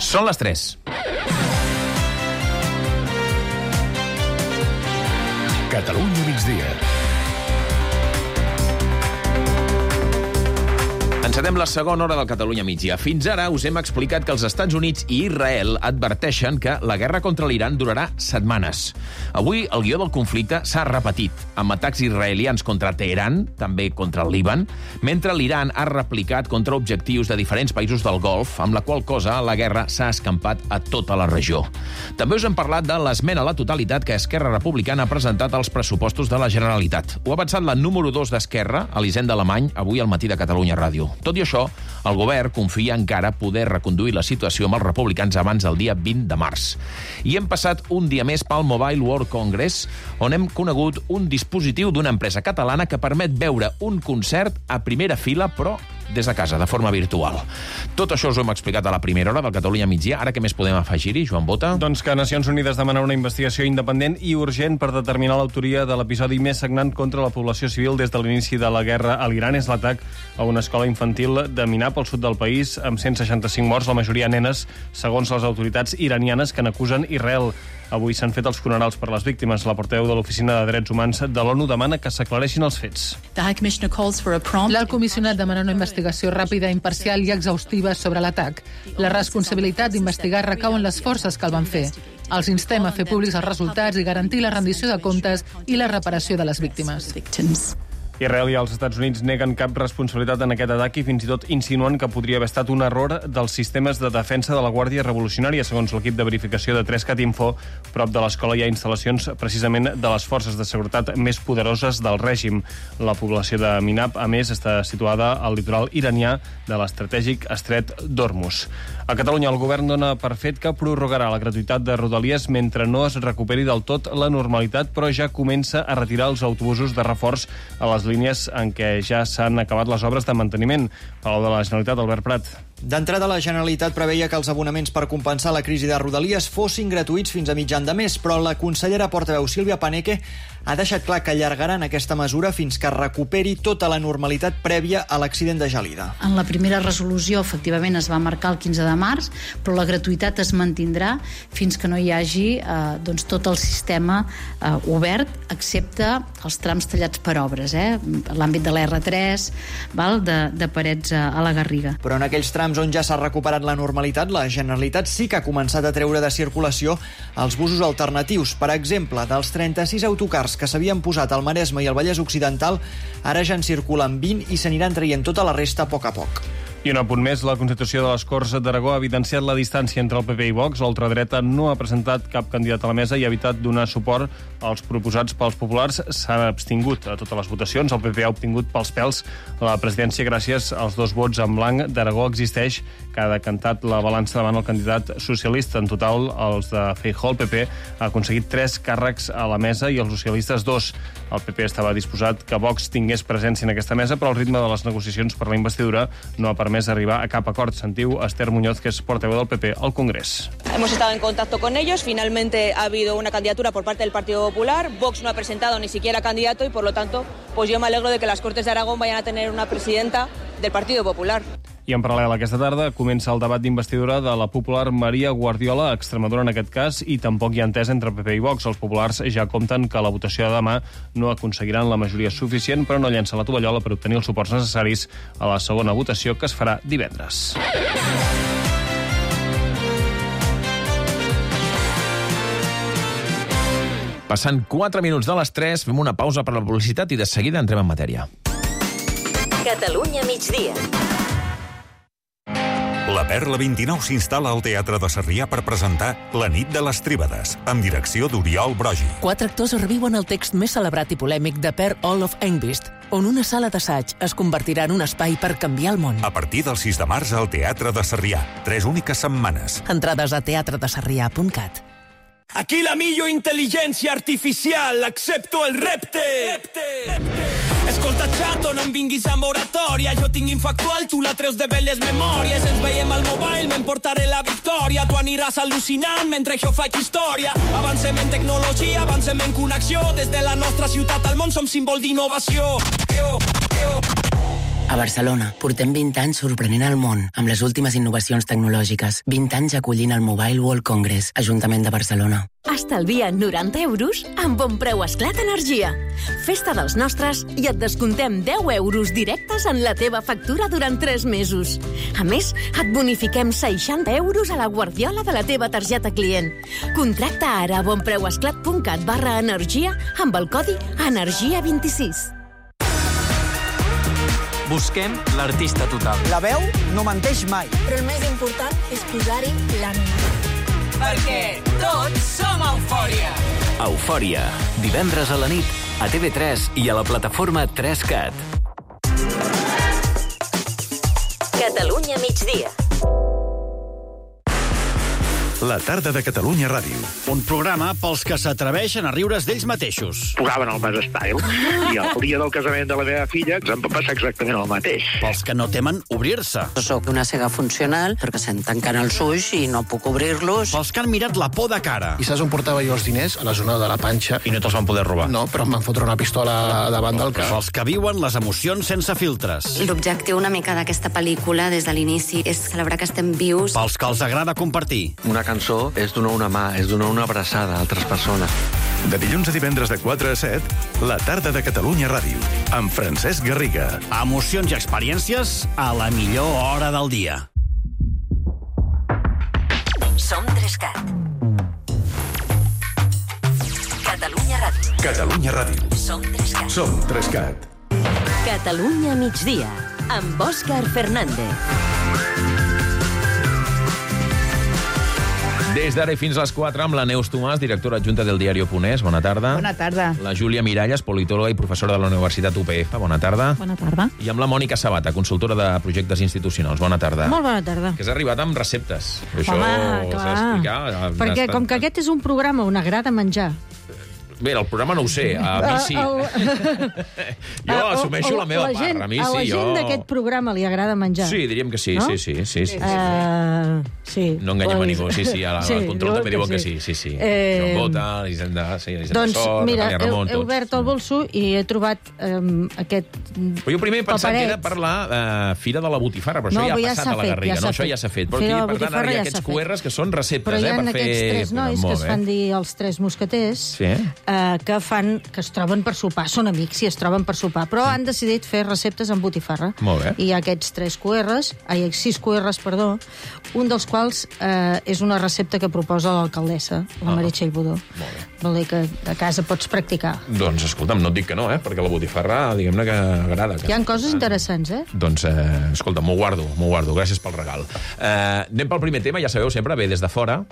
Són les 3. Catalunya migdia. Encetem la segona hora del Catalunya migdia. Fins ara us hem explicat que els Estats Units i Israel adverteixen que la guerra contra l'Iran durarà setmanes. Avui el guió del conflicte s'ha repetit, amb atacs israelians contra Teheran, també contra el Líban, mentre l'Iran ha replicat contra objectius de diferents països del Golf, amb la qual cosa la guerra s'ha escampat a tota la regió. També us hem parlat de l'esmena a la totalitat que Esquerra Republicana ha presentat als pressupostos de la Generalitat. Ho ha avançat la número 2 d'Esquerra, Elisenda Alemany, avui al matí de Catalunya Ràdio. Tot i això, el govern confia encara poder reconduir la situació amb els republicans abans del dia 20 de març. I hem passat un dia més pel Mobile World Congress, on hem conegut un dispositiu d'una empresa catalana que permet veure un concert a primera fila, però des de casa, de forma virtual. Tot això us ho hem explicat a la primera hora del Catalunya migdia. Ara què més podem afegir-hi, Joan Bota? Doncs que Nacions Unides demana una investigació independent i urgent per determinar l'autoria de l'episodi més sagnant contra la població civil des de l'inici de la guerra a l'Iran. És l'atac a una escola infantil de Minab, al sud del país, amb 165 morts, la majoria nenes, segons les autoritats iranianes que n'acusen Israel. Avui s'han fet els funerals per les víctimes. La portaveu de l'Oficina de Drets Humans de l'ONU demana que s'aclareixin els fets. L'alt comissionat demana una investigació ràpida, imparcial i exhaustiva sobre l'atac. La responsabilitat d'investigar recau en les forces que el van fer. Els instem a fer públics els resultats i garantir la rendició de comptes i la reparació de les víctimes. Israel i els Estats Units neguen cap responsabilitat en aquest atac i fins i tot insinuen que podria haver estat un error dels sistemes de defensa de la Guàrdia Revolucionària. Segons l'equip de verificació de 3cat Info, prop de l'escola hi ha instal·lacions precisament de les forces de seguretat més poderoses del règim. La població de Minab, a més, està situada al litoral iranià de l'estratègic estret d'Hormuz. A Catalunya, el govern dona per fet que prorrogarà la gratuïtat de Rodalies mentre no es recuperi del tot la normalitat, però ja comença a retirar els autobusos de reforç a les línies en què ja s'han acabat les obres de manteniment. Palau de la Generalitat, Albert Prat. D'entrada, la Generalitat preveia que els abonaments per compensar la crisi de Rodalies fossin gratuïts fins a mitjan de mes, però la consellera portaveu Sílvia Paneque ha deixat clar que allargaran aquesta mesura fins que recuperi tota la normalitat prèvia a l'accident de Gelida. En la primera resolució, efectivament, es va marcar el 15 de març, però la gratuïtat es mantindrà fins que no hi hagi tot el sistema obert, excepte els trams tallats per obres, l'àmbit de l'R3, de Parets a la Garriga. Però en aquells trams on ja s'ha recuperat la normalitat, la Generalitat sí que ha començat a treure de circulació els busos alternatius. Per exemple, dels 36 autocars que s'havien posat al Maresme i al Vallès Occidental, ara ja en circulen 20 i s'aniran traient tota la resta a poc a poc. I un apunt més, la Constitució de les Corts d'Aragó ha evidenciat la distància entre el PP i Vox. L'ultradreta no ha presentat cap candidat a la mesa i ha evitat donar suport als proposats pels populars. S'han abstingut a totes les votacions. El PP ha obtingut pels pèls la presidència gràcies als 2 vots en blanc d'Aragó. Existeix que ha decantat la balança davant el candidat socialista. En total, els de Feijóo, el PP, ha aconseguit 3 càrrecs a la mesa i els socialistes 2. El PP estava disposat que Vox tingués presència en aquesta mesa, però el ritme de les negociacions per la investidura no ha permès arribar a cap acord. Sentiu Esther Muñoz, que és portaveu del PP al Congrés. Hemos estado en contacto con ellos. Finalmente ha habido una candidatura por parte del Partido Popular. Vox no ha presentado ni siquiera candidato y, por lo tanto, pues yo me alegro de que las Cortes de Aragón vayan a tener una presidenta del Partido Popular. I en paral·lel aquesta tarda comença el debat d'investidura de la popular Maria Guardiola, a Extremadura en aquest cas, i tampoc hi ha entesa entre PP i Vox. Els populars ja compten que la votació de demà no aconseguiran la majoria suficient, però no llencen la tovallola per obtenir els suports necessaris a la segona votació, que es farà divendres. Passant 4 minuts de les 3, fem una pausa per la publicitat i de seguida entrem en matèria. Catalunya migdia. La Perla 29 s'instal·la al Teatre de Sarrià per presentar La nit de les Tríbades, amb direcció d'Oriol Brogi. 4 actors reviuen el text més celebrat i polèmic de Per Olof Engvist, on una sala d'assaig es convertirà en un espai per canviar el món. A partir del 6 de març al Teatre de Sarrià. 3 úniques setmanes. Entrades a teatredesarrià.cat. Aquí la millor intel·ligència artificial, accepto el repte. Escolta, xato, no em vinguis a moratòria. Jo tinc infactual, tu la treus de velles memòries. Ens veiem al mobile, m'emportaré la victòria. Tu aniràs al·lucinant mentre jo faig història. Avancem en tecnologia, avancem en connexió. Des de la nostra ciutat al món som símbol d'innovació. A Barcelona, portem 20 anys sorprenent el món amb les últimes innovacions tecnològiques. 20 anys acollint el Mobile World Congress, Ajuntament de Barcelona. Estalvia 90 euros amb Bon Preu Esclat Energia. Festa dels nostres i et descontem 10 euros directes en la teva factura durant 3 mesos. A més, et bonifiquem 60 euros a la guardiola de la teva targeta client. Contracta ara a bonpreuesclat.cat/energia amb el codi ENERGIA26. Busquem l'artista total. La veu no menteix mai. Però el més important és posar-hi l'ànima. Perquè tots som Eufòria. Eufòria. Divendres a la nit, a TV3 i a la plataforma 3CAT. Catalunya migdia. La tarda de Catalunya Ràdio. Un programa pels que s'atreveixen a riure's d'ells mateixos. Posaven el Mas Style i el dia del casament de la meva filla ens va passar exactament el mateix. Pels que no temen obrir-se. Soc una cega funcional perquè se'm tanquen els ulls i no puc obrir-los. Pels que han mirat la por de cara. I saps on portava jo els diners? A la zona de la panxa. I no te'ls van poder robar? No, però em van fotre una pistola davant del cap. Pels que viuen les emocions sense filtres. L'objectiu una mica d'aquesta pel·lícula des de l'inici és celebrar que estem vius. Pels que els agrada compartir. Una cançó és donar una mà, és donar una abraçada a altres persones. De dilluns a divendres de 4 a 7, la tarda de Catalunya Ràdio, amb Francesc Garriga. Emocions i experiències a la millor hora del dia. Som 3CAT. Catalunya Ràdio. Catalunya Ràdio. Som 3CAT. Som 3CAT. Catalunya migdia, amb Òscar Fernández. Des d'ara i fins a les 4 amb la Neus Tomàs, directora adjunta del diari Oponès. Bona tarda. Bona tarda. La Júlia Miralles, politòloga i professora de la Universitat UPF. Bona tarda. Bona tarda. I amb la Mònica Sabata, consultora de projectes institucionals. Bona tarda. Molt bona tarda. Que has arribat amb receptes. Això Home, s'ha d'explicar. Perquè com que aquest és un programa on agrada menjar... Bé, el programa no ho sé, a mi sí. Jo assumeixo la meva part, a mi sí. A la gent d'aquest programa li agrada menjar. Sí, diríem que sí, no? sí. Sí. No enganyem a ningú, sí, al control també diuen que sí. Joan Bota, Elisenda Doncs, Sor, mira, Ramon, he obert el bolso i he trobat aquest Però jo primer he pensat que era per la Fira de la Botifarra, però això ja ha passat a la Garriga, no? Això ja s'ha fet. Però aquí, per tant, ara hi ha aquests QRs que són receptes, per fer... Però hi ha aquests 3 nois que es fan dir els 3 mosqueters, que es troben per sopar, són amics i es troben per sopar, però han decidit fer receptes amb botifarra. Molt bé. I hi ha aquests 6 QRs, un dels quals és una recepta que proposa l'alcaldessa, la Meritxell Budó. Vol dir que a casa pots practicar. Doncs, escolta'm, no et dic que no, perquè la botifarra, diguem-ne que agrada. Hi ha coses interessants, Doncs, escolta, m'ho guardo, gràcies pel regal. Anem pel primer tema, ja sabeu, sempre ve des de fora.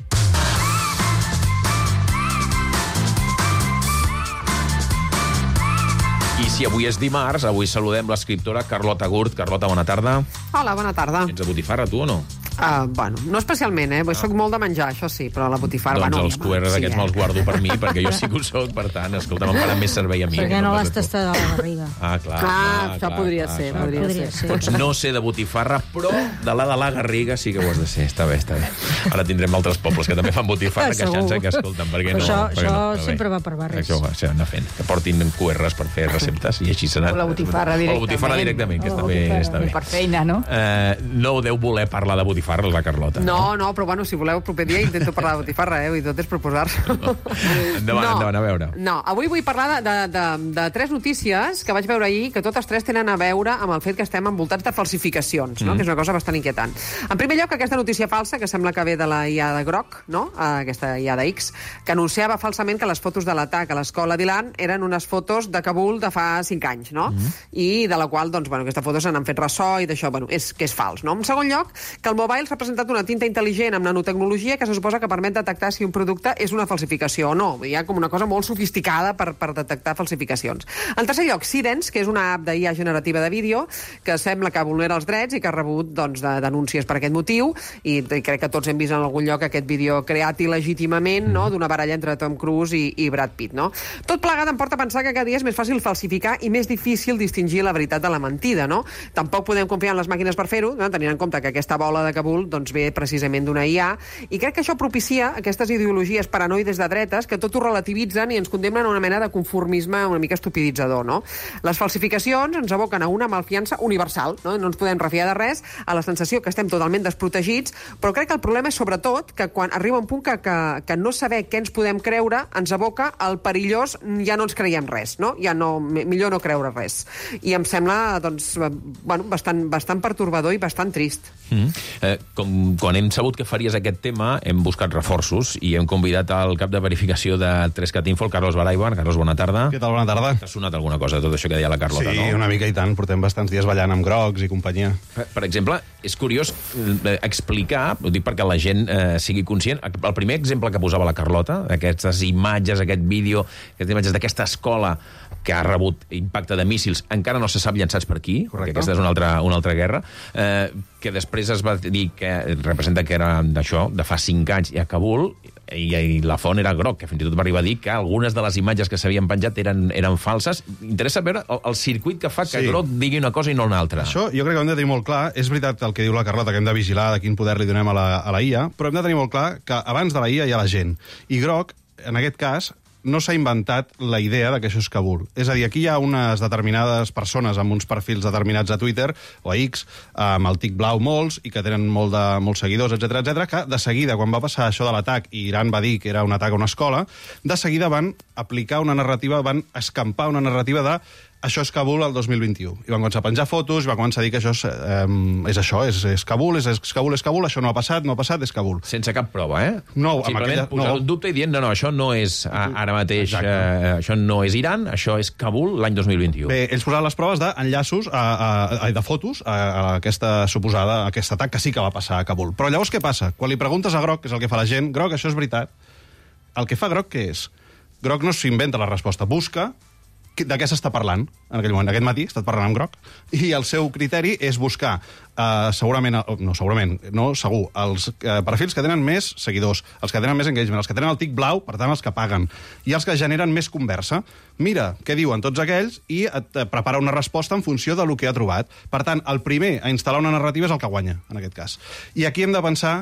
I si avui és dimarts, avui saludem l'escriptora Carlota Gurt. Carlota, bona tarda. Hola, bona tarda. Ets de botifarra, tu, o no? Bueno, no especialment, soc molt de menjar, això sí, però la botifarra... Doncs els QRs aquests me'ls guardo per mi, perquè jo sí que ho soc, per tant, escolta, me'n faran més servei a mi. Perquè no l'has tastat a la barriga. Clar. Això podria ser. Pots no ser de botifarra, però de la Garriga sí que ho has de ser. Està bé. Ara tindrem altres pobles que també fan botifarra, queixant-se que escolten, perquè no... Això sempre va per barris. Això va, anar fent. Que portin QRs per fer receptes i així serà. O la botifarra directament. O la botifarra directament, que està bé. Per feina, no? No deu voler parlar de botifarra, la Carlota. No, però bueno, si voleu el proper dia intento parlar de botifarra, i tot és proposar-se. Endavant, a veure. No, avui vull parlar de 3 notícies que vaig veure ahir, que totes 3 tenen a veure amb el fet que estem envoltats de falsificacions, no? Que és una cosa bastant inquietant. En primer lloc, aquesta notícia falsa, que sembla que ve de la IA de Groc, no? Aquesta IA de X, que anunciava falsament que les fotos de l'atac a l'escola d'Ilan eren unes fotos de Kabul de fa 5 anys, no? I de la qual, doncs, aquesta foto se n'han fet ressò i d'això, bueno, que és fals, no? En segon lloc, que el mobile s'ha presentat una tinta intel·ligent amb nanotecnologia que se suposa que permet detectar si un producte és una falsificació o no. Hi ha com una cosa molt sofisticada per detectar falsificacions. En tercer lloc, Sidens, que és una app d'IA generativa de vídeo que sembla que vulnera els drets i que ha rebut denúncies per aquest motiu, i crec que tots hem vist en algun lloc aquest vídeo creat il·legítimament, no?, d'una baralla entre Tom Cruise i Brad Pitt, no? Tot plegat em porta a pensar que cada dia és més fàcil falsificar i més difícil distingir la veritat de la mentida, no? Tampoc podem confiar en les màquines per fer-ho, no? Tenint en compte que aquesta bola de Kabul doncs ve precisament d'una IA, i crec que això propicia aquestes ideologies paranoides de dretes que tot ho relativitzen i ens condemnen a una mena de conformisme una mica estupiditzador, no? Les falsificacions ens aboquen a una malfiança universal, no ens podem refiar de res, a la sensació que estem totalment desprotegits, però crec que el problema és sobretot que quan arriba un punt que no saber què ens podem creure ens aboca al perillós ja no ens creiem res, no? Ja no, millor no creure res. I em sembla doncs, bastant pertorbador i bastant trist. Quan hem sabut que faries aquest tema, hem buscat reforços i hem convidat al cap de verificació de 3CAT Info, el Carlos Baraiban. Carlos, bona tarda. Què tal, bona tarda? T'ha sonat alguna cosa de tot això que deia la Carlota, no? Sí, una mica i tant. Portem bastants dies ballant amb grocs i companyia. Per exemple, és curiós explicar, ho dic perquè la gent sigui conscient, el primer exemple que posava la Carlota, aquestes imatges, aquest vídeo, aquestes imatges d'aquesta escola que ha rebut impacte de míssils, encara no se sap llançats per qui, perquè aquesta és una altra guerra, que després es va dir que representa que era d'això, de fa 5 anys, i a Kabul, i la font era groc, que fins i tot va arribar a dir que algunes de les imatges que s'havien penjat eren falses. Interessa veure el circuit que fa que groc digui una cosa i no una altra. Això jo crec que hem de tenir molt clar. És veritat el que diu la Carlota, que hem de vigilar de quin poder li donem a la IA, però hem de tenir molt clar que abans de la IA hi ha la gent. I groc, en aquest cas, no s'ha inventat la idea de que això és Kabul. És a dir, aquí hi ha unes determinades persones amb uns perfils determinats a Twitter o a X, amb el tic blau molts, i que tenen molts seguidors, etc, que de seguida, quan va passar això de l'atac, i Iran va dir que era un atac a una escola, de seguida van aplicar una narrativa, van escampar una narrativa de això és Kabul el 2021. I van començar a penjar fotos, i van començar a dir que això és això, és Kabul, és Kabul, això no ha passat, és Kabul. Sense cap prova, eh? No, simplement posar un dubte i dient, no, això no és ara mateix, això no és Iran, això és Kabul l'any 2021. Bé, ells posaven les proves d'enllaços, de fotos, a aquesta suposada, a aquest atac que sí que va passar a Kabul. Però llavors què passa? Quan li preguntes a Groc, que és el que fa la gent, Groc, això és veritat. El que fa Groc, què és? Groc no s'inventa la resposta, busca de què s'està parlant en aquell moment. Aquest matí he estat parlant amb Groc i el seu criteri és buscar segur, els perfils que tenen més seguidors, els que tenen més engagement, els que tenen el tic blau, per tant, els que paguen, i els que generen més conversa. Mira què diuen tots aquells i et prepara una resposta en funció del que ha trobat. Per tant, el primer a instal·lar una narrativa és el que guanya, en aquest cas. I aquí hem de pensar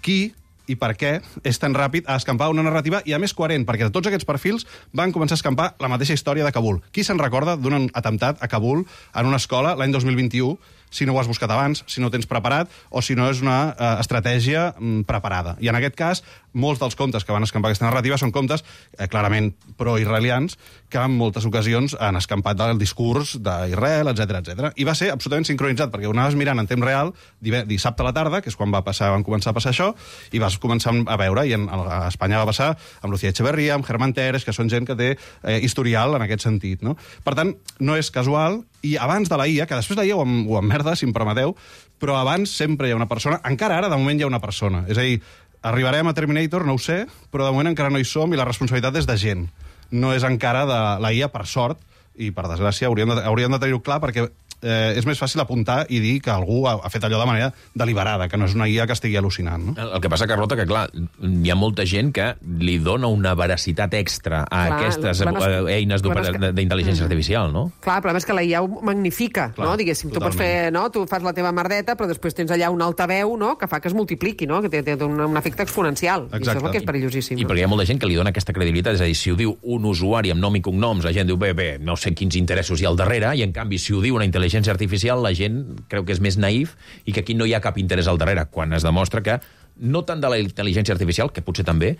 qui i per què és tan ràpid a escampar una narrativa, i a més coherent, perquè tots aquests perfils van començar a escampar la mateixa història de Kabul. Qui se'n recorda d'un atemptat a Kabul en una escola l'any 2021, si no ho has buscat abans, si no ho tens preparat, o si no és una estratègia preparada. I en aquest cas, molts dels comptes que van escampar aquesta narrativa són comptes clarament pro-israelians, que en moltes ocasions han escampat el discurs d'Israel, etc. I va ser absolutament sincronitzat, perquè ho anaves mirant en temps real dissabte a la tarda, que és quan van començar a passar això, i vas començar a veure, i a Espanya va passar amb Lucía Echeverría, amb Germán Teres, que són gent que té historial en aquest sentit, no? Per tant, no és casual, i abans de la IA, que després de la IA ho emmerda, si em permeteu, però abans sempre hi ha una persona, encara ara, de moment, hi ha una persona. És a dir, arribarem a Terminator, no ho sé, però de moment encara no hi som i la responsabilitat és de gent. No és encara de la IA, per sort, i per desgràcia hauríem de tenir-ho clar, perquè és més fàcil apuntar i dir que algú ha fet allò de manera deliberada, que no és una IA que estigui al·lucinant. No? El que passa, Carlota, que clar, hi ha molta gent que li dona una veracitat extra a aquestes eines d'intel·ligència artificial, no? Clar, el problema és que la IA ho magnifica, no? Diguéssim, tu pots fer, no? Tu fas la teva merdeta, però després tens allà un altaveu, no?, que fa que es multipliqui, no?, que té un efecte exponencial. Exacte. I això és el que és perillosíssim. I perquè hi ha molta gent que li dona aquesta credibilitat, és a dir, si ho diu un usuari amb nom i cognoms, la gent diu, bé, no sé quins interessos hi ha al darrere, i en canvi, si ho diu una intel·ligència artificial, la gent creu que és més naïf i que aquí no hi ha cap interès al darrere, quan es demostra que no tant de la intel·ligència artificial, que potser també,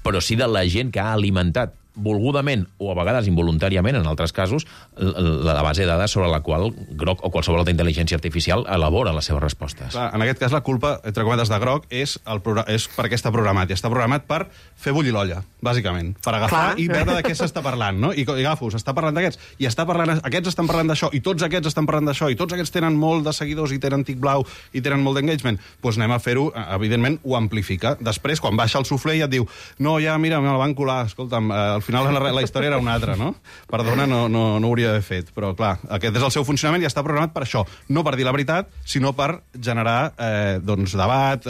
però sí de la gent que ha alimentat volgudament o a vegades involuntàriament, en altres casos, la base de dades sobre la qual Groc o qualsevol altra intel·ligència artificial elabora les seves respostes. Clar, en aquest cas, la culpa, entre cometes, de Groc és perquè està programat. I està programat per fer bullir l'olla, bàsicament. Per agafar i veure de què s'està parlant, no? I agafo, s'està parlant d'aquests, i aquests estan parlant d'això, i tots aquests estan parlant d'això, i tots aquests tenen molt de seguidors i tenen tic blau i tenen molt d'engagement. Doncs anem a fer-ho, evidentment, ho amplifica. Després, quan baixa el suflé, ja et diu, no, ja, mira, me la van colar, escolta'm, al final la història era una altra, no? Perdona, no ho hauria d'haver fet. Però, clar, aquest és el seu funcionament i està programat per això. No per dir la veritat, sinó per generar debat,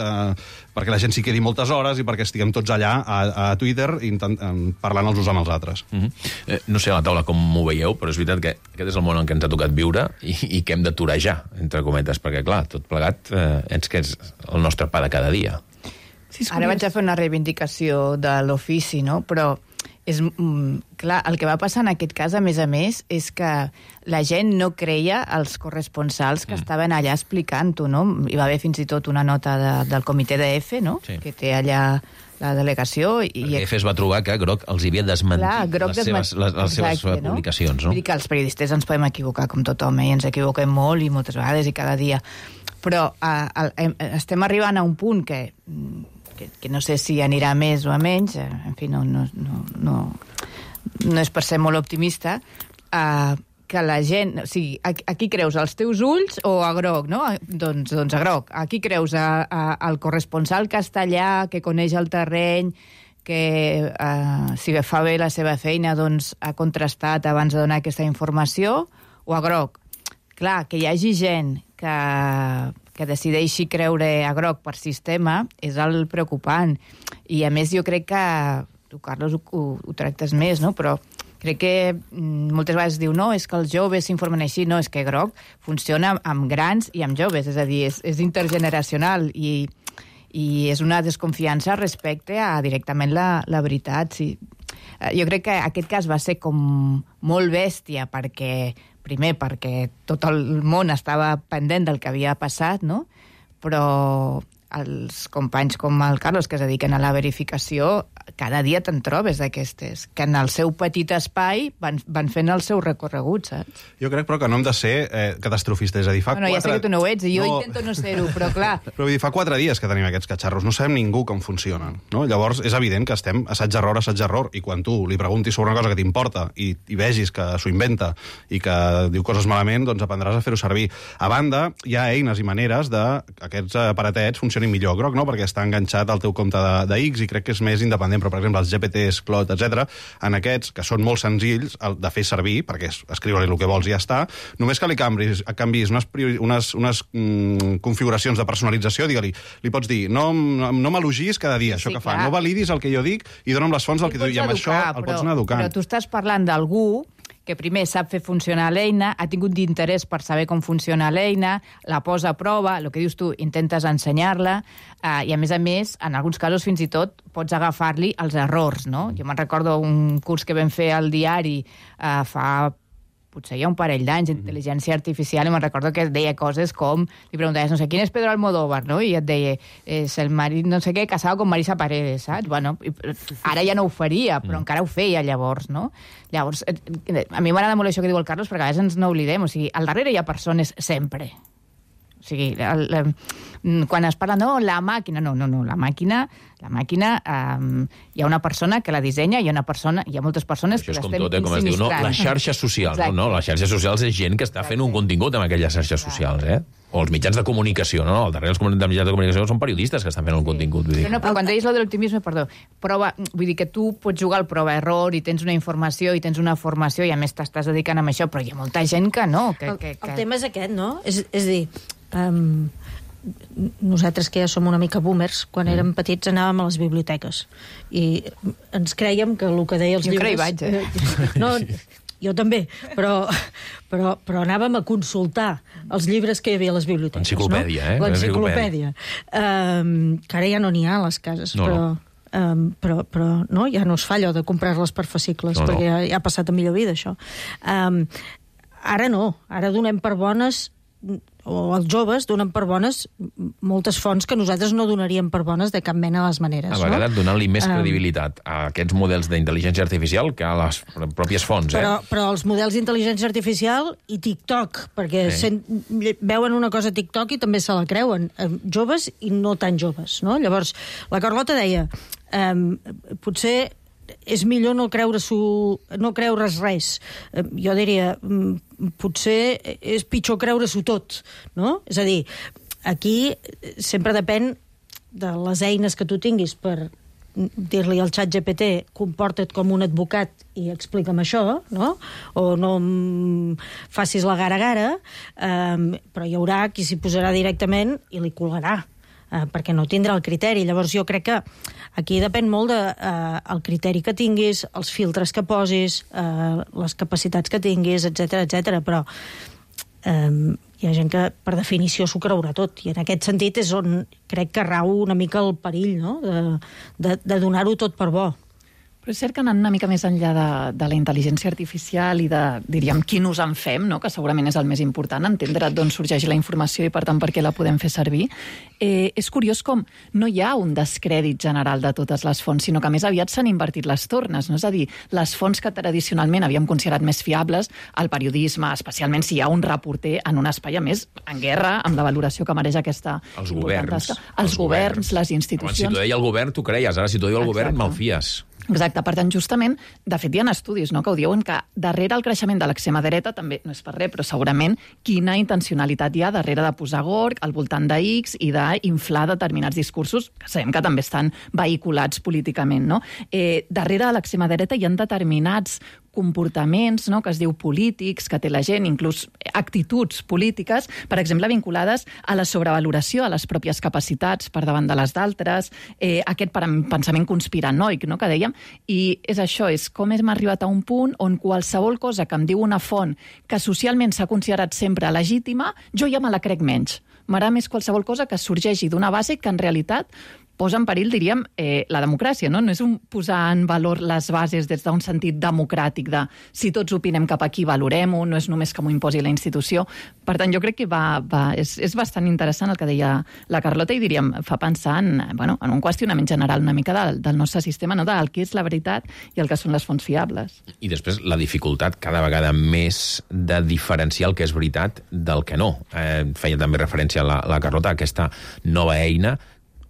perquè la gent s'hi quedi moltes hores i perquè estiguem tots allà a Twitter parlant els uns amb els altres. No sé a la taula com m'ho veieu, però és veritat que aquest és el món en què ens ha tocat viure i que hem de torejar, entre cometes, perquè, clar, tot plegat que és el nostre pa de cada dia. Ara vaig a fer una reivindicació de l'ofici, no? Però és clar, el que va passar en aquest cas, a més, és que la gent no creia els corresponsals que estaven allà explicant-ho, no? Hi va haver fins i tot una nota del comitè de F, no? Sí. Que té allà la delegació. Perquè F es va trobar que Groc els havia desmentit les seves publicacions, no? Vull dir que els periodistes ens podem equivocar com tothom, i ens equivoquem molt i moltes vegades i cada dia. Però estem arribant a un punt que no sé si anirà més o a menys, en fi, no és per ser molt optimista, que la gent... O sigui, a qui creus, als teus ulls o a Groc, no? Doncs a Groc. A qui creus, al corresponsal que està allà, que coneix el terreny, que si fa bé la seva feina, doncs ha contrastat abans de donar aquesta informació, o a Groc? Clar, que hi hagi gent que decideixi creure a Groc per sistema és el preocupant. I, a més, jo crec que... Tu, Carlos, ho tractes més, no? Però crec que moltes vegades diu no, és que els joves s'informen així. No, és que Groc funciona amb grans i amb joves. És a dir, és intergeneracional i és una desconfiança respecte a directament la veritat. Sí. Jo crec que aquest cas va ser com molt bèstia perquè tot el món estava pendent del que havia passat, no? Però els companys com el Carlos, que es dediquen a la verificació, cada dia te'n trobes d'aquestes, que en el seu petit espai van fent el seu recorregut, saps? Jo crec, però, que no hem de ser catastrofistes. És a dir, ja sé que tu no ho ets, i jo intento no ser-ho, però clar... Però vull dir, fa 4 dies que tenim aquests catxarros, no sabem ningú com funcionen, no? Llavors, és evident que estem assaig-error, i quan tu li preguntis sobre una cosa que t'importa i vegis que s'ho inventa i que diu coses malament, doncs aprendràs a fer-ho servir. A banda, hi ha eines i maneres de que aquests aparatets funcionin millor. Groc, no? Perquè està enganxat al teu compte de X i crec que és més independent, però, per exemple, els GPTs, Claude, etc., en aquests, que són molt senzills de fer servir, perquè escriure-li el que vols i ja està, només que li canvis unes configuracions de personalització, digue-li, li pots dir, no m'elogis cada dia, això que fa, no validis el que jo dic i dona'm les fonts del que tu... I amb això el pots anar educant. Però tu estàs parlant d'algú que primer sap fer funcionar l'eina, ha tingut d'interès per saber com funciona l'eina, la posa a prova, el que dius tu, intentes ensenyar-la, i a més, en alguns casos fins i tot pots agafar-li els errors, no? Jo me'n recordo un curs que vam fer al diari fa... potser hi ha un parell d'anys, intel·ligència artificial, i me'n recordo que deia coses com, li preguntaves, no sé, ¿quién es Pedro Almodóvar? No? I et deia, és el marit, no sé què, casado con Marisa Paredes, saps? Bueno, ara ja no ho faria, però encara ho feia llavors, no? Llavors, a mi m'agrada molt això que diu el Carlos, perquè a vegades ens n'oblidem, o sigui, al darrere hi ha persones sempre. O sigui, quan es parla, no, la màquina, no, la màquina hi ha una persona que la dissenya, hi ha moltes persones que l'estem insinistrant. Com es diu, no? Les xarxes socials, no? Les xarxes socials és gent que està fent un contingut amb aquelles xarxes socials, O els mitjans de comunicació, no? Al darrere els mitjans de comunicació són periodistes que estan fent un contingut. Vull dir. Però quan deies lo de l'optimisme, vull dir que tu pots jugar al prova-error i tens una informació i tens una formació i a més t'estàs dedicant a això, però hi ha molta gent que no. El tema és aquest, no? És dir, nosaltres que ja som una mica boomers, quan érem petits anàvem a les biblioteques i ens creiem que el que deia els llibres... Jo vaig, No, jo també, però anàvem a consultar els llibres que hi havia a les biblioteques. Enciclopèdia, no? L'enciclopèdia. Que ara ja no n'hi ha a les cases, però no, ja no es fa allò de comprar-les per fascicles, perquè ja ha passat a millor vida, això. Ara no, ara donem per bones, o els joves donen per bones moltes fonts que nosaltres no donaríem per bones de cap mena de les maneres. A vegades donant-li més credibilitat a aquests models d'intel·ligència artificial que a les pròpies fonts. Però els models d'intel·ligència artificial i TikTok, perquè veuen una cosa a TikTok i també se la creuen, joves i no tan joves, no? Llavors, la Carlota deia, potser és millor no creure's res. Jo diria, potser és pitjor creure-s'ho tot, no? És a dir, aquí sempre depèn de les eines que tu tinguis per dir-li al xat GPT comporta't com un advocat i explica'm això, no? O no facis la gara-gara, però hi haurà qui s'hi posarà directament i li colgarà, perquè no tindrà el criteri. Llavors jo crec que aquí depèn molt del criteri que tinguis, els filtres que posis, les capacitats que tinguis, etc. Però hi ha gent que per definició s'ho creurà tot, i en aquest sentit és on crec que rau una mica el perill, no? De donar-ho tot per bo. Però és cert que anant una mica més enllà de la intel·ligència artificial i de, diríem, quin ús en fem, no? Que segurament és el més important, entendre d'on sorgeix la informació i, per tant, per què la podem fer servir. És curiós com no hi ha un descrèdit general de totes les fonts, sinó que més aviat s'han invertit les tornes, no? És a dir, les fonts que tradicionalment havíem considerat més fiables, el periodisme, especialment si hi ha un reporter en un espai, a més, en guerra, amb la valoració que mereix aquesta... Els governs. Els governs, les institucions... Abans, si t'ho deia el govern, t'ho creies. Ara, si t'ho diu el govern, malfies. Exacte, per tant, justament, de fet, hi ha estudis, no?, que ho diuen, que darrere el creixement de l'extrema dreta, també no és per res, però segurament quina intencionalitat hi ha darrere de posar gorg al voltant de X i d'inflar determinats discursos, que sabem que també estan vehiculats políticament, no? Darrere de l'extrema dreta hi ha determinats comportaments, no?, que es diu polítics, que té la gent, inclús actituds polítiques, per exemple, vinculades a la sobrevaloració de les pròpies capacitats per davant de les d'altres, aquest pensament conspiranoic, no?, que dèiem, i és això, és com hem arribat a un punt on qualsevol cosa que em diu una font que socialment s'ha considerat sempre legítima, jo ja me la crec menys. M'agrada més qualsevol cosa que sorgeixi d'una base que en realitat posa en perill, diríem, la democràcia, no? No és un posar en valor les bases des d'un sentit democràtic de si tots opinem cap aquí, valorem-ho, no és només que m'ho imposi la institució. Per tant, jo crec que és bastant interessant el que deia la Carlota i, diríem, fa pensar en un qüestionament general una mica del nostre sistema, no?, del que és la veritat i el que són les fonts fiables. I després la dificultat cada vegada més de diferenciar el que és veritat del que no. Feia també referència a la Carlota, aquesta nova eina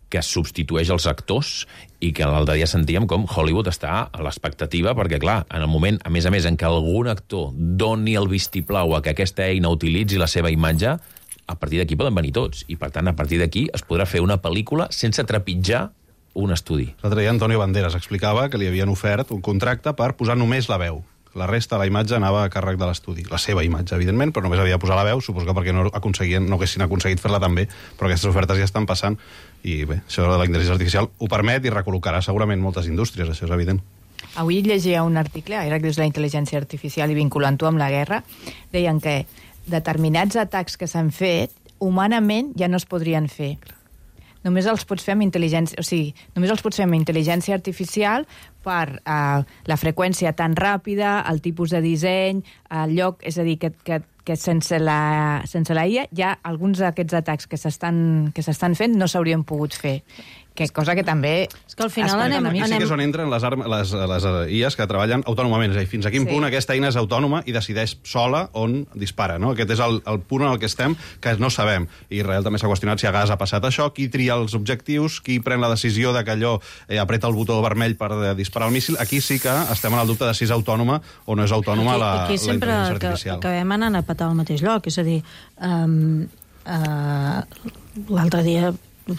que substitueix els actors i que l'altre dia sentíem com Hollywood està a l'expectativa perquè, clar, en el moment, a més, en què algun actor doni el vistiplau a que aquesta eina utilitzi la seva imatge, a partir d'aquí poden venir tots. I, per tant, a partir d'aquí es podrà fer una pel·lícula sense trepitjar un estudi. L'altre dia Antonio Banderas explicava que li havien ofert un contracte per posar només la veu. La resta de la imatge anava a càrrec de l'estudi. La seva imatge, evidentment, però només havia de posar la veu, suposo que perquè no haguessin aconseguit fer-la també, però aquestes ofertes ja estan passant. I bé, això de la intel·ligència artificial ho permet i recol·locarà segurament moltes indústries, això és evident. Avui llegia un article, ara que dius la intel·ligència artificial i vinculant-ho amb la guerra, deien que determinats atacs que s'han fet, humanament ja no es podrien fer. Només els pots fer amb intel·ligència, només els pots fer amb intel·ligència artificial per la freqüència tan ràpida, el tipus de disseny, el lloc, és a dir, que sense la IA ja alguns d'aquests atacs que s'estan fent no s'haurien pogut fer. Cosa que també... És que al final Aquí sí que és on entren les IAs que treballen autònomament, és a dir, fins a quin punt aquesta eina és autònoma i decideix sola on dispara, no? Aquest és el punt en el que estem, que no sabem. I Israel també s'ha qüestionat si a Gaza ha passat això, qui tria els objectius, qui pren la decisió de que allò apreta el botó vermell per disparar el míssil. Aquí sí que estem en el dubte de si és autònoma o no és autònoma la intel·ligència artificial. Aquí sempre acabem anant a petar al mateix lloc, és a dir, l'altre dia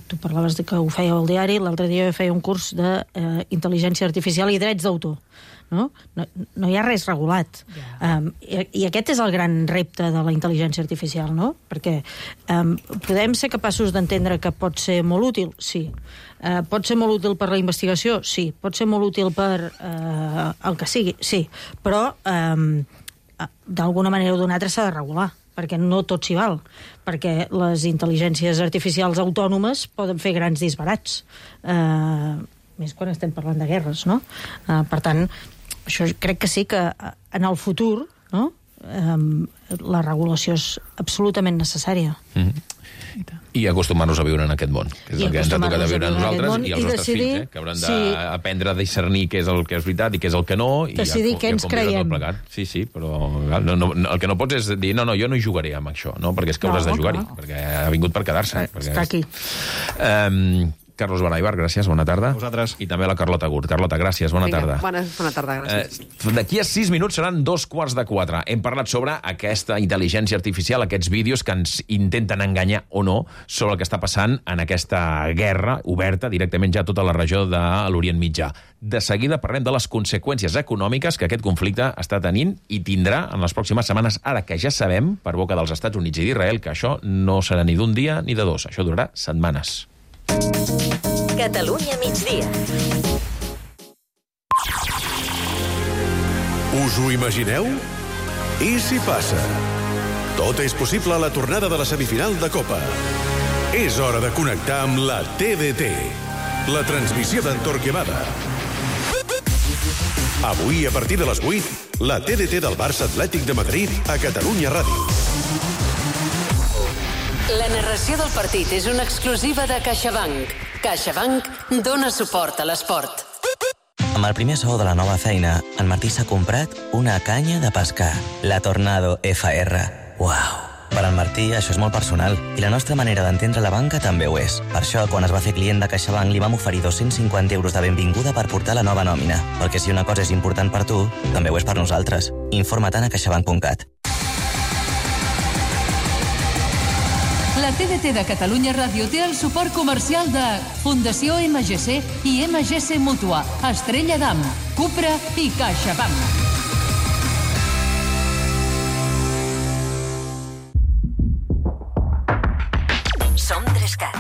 tu parlaves de que ho feia al diari, l'altre dia feia un curs d'intel·ligència artificial i drets d'autor. No hi ha res regulat. I aquest és el gran repte de la intel·ligència artificial, no? Perquè podem ser capaços d'entendre que pot ser molt útil? Sí. Pot ser molt útil per la investigació? Sí. Pot ser molt útil per el que sigui? Sí. Però d'alguna manera o d'una altra s'ha de regular, perquè no tot s'hi val, perquè les intel·ligències artificials autònomes poden fer grans disbarats, més quan estem parlant de guerres, no? Per tant, això crec que sí que en el futur, no?, la regulació és absolutament necessària. I acostumar-nos a viure en aquest món, que és el que ens ha tocat a viure a nosaltres i als nostres fills, que hauran d'aprendre a discernir què és el que és veritat i què és el que no, i decidir què ens creiem. Sí, però el que no pots és dir, no, jo no hi jugaré amb això, no? Perquè és que hauràs de jugar-hi, perquè ha vingut per quedar-se. Està aquí. Carlos Baraibar, gràcies, bona tarda. A vosaltres. I també a la Carlota Gurt. Carlota, gràcies, bona tarda. Bona tarda, gràcies. D'aquí a 6 minuts seran 3:45. Hem parlat sobre aquesta intel·ligència artificial, aquests vídeos que ens intenten enganyar o no sobre el que està passant en aquesta guerra oberta directament ja a tota la regió de l'Orient Mitjà. De seguida parlem de les conseqüències econòmiques que aquest conflicte està tenint i tindrà en les pròximes setmanes, ara que ja sabem, per boca dels Estats Units i d'Israel, que això no serà ni d'un dia ni de dos. Això durarà setmanes. Catalunya migdia. Us ho imagineu? I si passa? Tot és possible a la tornada de la semifinal de Copa. És hora de connectar amb la TDT, la transmissió d'en Torquemada. Avui, a partir de les 8, la TDT del Barça Atlètic de Madrid a Catalunya Ràdio. La narració del partit és una exclusiva de CaixaBank. CaixaBank dona suport a l'esport. Amb el primer sou de la nova feina, en Martí s'ha comprat una canya de pescar, la Tornado FR. Uau! Per al Martí això és molt personal i la nostra manera d'entendre la banca també ho és. Per això, quan es va fer client de CaixaBank, li vam oferir 250 euros de benvinguda per portar la nova nòmina. Perquè si una cosa és important per tu, també ho és per nosaltres. Informa-te'n a caixabank.cat. La TDT de Catalunya Ràdio té el suport comercial de Fundació MGC i MGC Mútua, Estrella d'Am, Cupra i CaixaBank. Som 3CAT.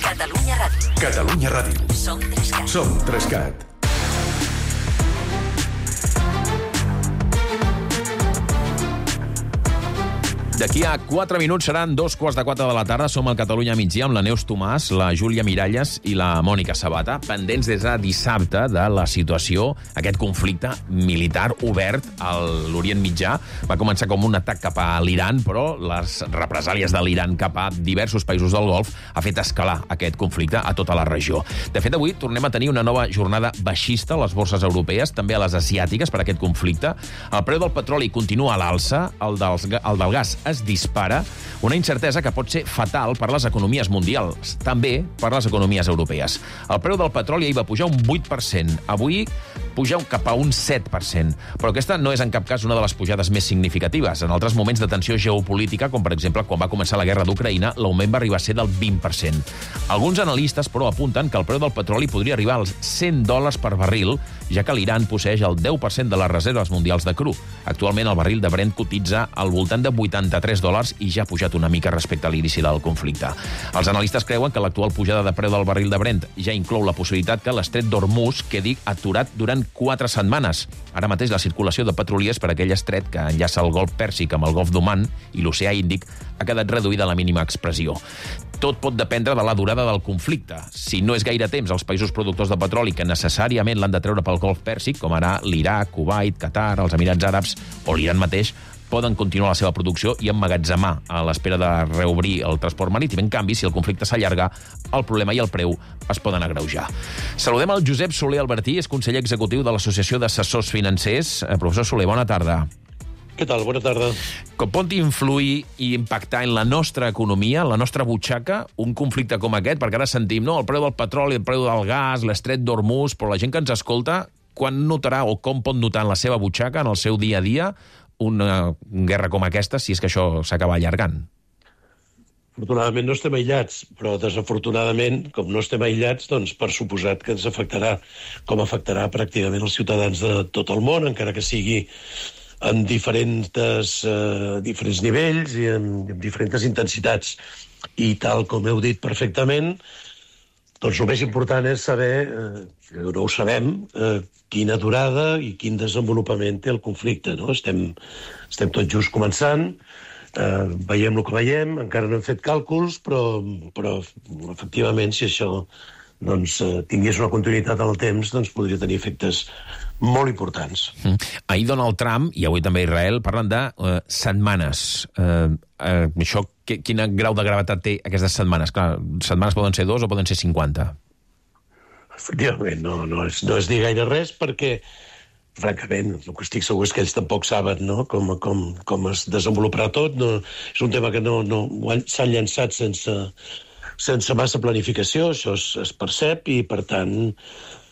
Catalunya Ràdio. Catalunya Ràdio. Som 3CAT. Som 3CAT. D'aquí a 4 minuts seran 3:45 de la tarda. Som al Catalunya migdia amb la Neus Tomàs, la Júlia Miralles i la Mònica Sabata, pendents des de dissabte de la situació, aquest conflicte militar obert a l'Orient Mitjà. Va començar com un atac cap a l'Iran, però les represàlies de l'Iran cap a diversos països del Golf ha fet escalar aquest conflicte a tota la regió. De fet, avui tornem a tenir una nova jornada baixista a les borses europees, també a les asiàtiques, per aquest conflicte. El preu del petroli continua a l'alça, el del gas es dispara, una incertesa que pot ser fatal per les economies mundials, també per les economies europees. El preu del petroli ahir va pujar un 8%, avui puja cap a un 7%, però aquesta no és en cap cas una de les pujades més significatives. En altres moments de tensió geopolítica, com per exemple quan va començar la guerra d'Ucraïna, l'augment va arribar a ser del 20%. Alguns analistes, però, apunten que el preu del petroli podria arribar als $100 per barril, ja que l'Iran posseix el 10% de les reserves mundials de cru. Actualment el barril de Brent cotitza al voltant de $83 i ja ha pujat una mica respecte a l'inici del conflicte. Els analistes creuen que l'actual pujada de preu del barril de Brent ja inclou la possibilitat que l'estret d'Hormuz quedi aturat durant 4 setmanes. Ara mateix la circulació de petroliers per aquell estret que enllaça el Golf Pèrsic amb el Golf d'Oman i l'Oceà Índic ha quedat reduïda a la mínima expressió. Tot pot dependre de la durada del conflicte. Si no és gaire temps, els països productors de petroli que necessàriament l'han de treure pel Golf Pèrsic, com ara l'Iraq, Kuwait, Qatar, els Emirats Àrabs o l'Iran mateix, poden continuar la seva producció i emmagatzemar a l'espera de reobrir el transport marítim. En canvi, si el conflicte s'allarga, el problema i el preu es poden agreujar. Saludem el Josep Soler Albertí, és conseller executiu de l'Associació d'Assessors Financers. Professor Soler, bona tarda. Què tal? Bona tarda. Com pot influir i impactar en la nostra economia, en la nostra butxaca, un conflicte com aquest? Perquè ara sentim, no?, el preu del petroli, el preu del gas, l'estret d'Hormuz, però la gent que ens escolta, quan notarà o com pot notar en la seva butxaca, en el seu dia a dia, una guerra com aquesta, si és que això s'acaba allargant? Afortunadament no estem aïllats, però desafortunadament, com no estem aïllats, doncs per suposat que ens afectarà, com afectarà pràcticament els ciutadans de tot el món, encara que sigui en diferents nivells i en diferents intensitats. I tal com heu dit perfectament, doncs el més important és saber, no ho sabem, quina durada i quin desenvolupament té el conflicte, no? Estem tot just començant, veiem el que veiem, encara no hem fet càlculs, però efectivament, si això tingués una continuïtat en el temps, doncs podria tenir efectes molt importants. Ahir Donald Trump, i avui també Israel, parlen de setmanes. Això, quin grau de gravetat té aquestes setmanes? Clar, setmanes poden ser 2 o poden ser 50? Efectivament, no és dir gaire res, perquè, francament, el que estic segur és que ells tampoc saben, no?, com es desenvoluparà tot. No, és un tema que no s'han llançat sense massa planificació, això es percep i, per tant,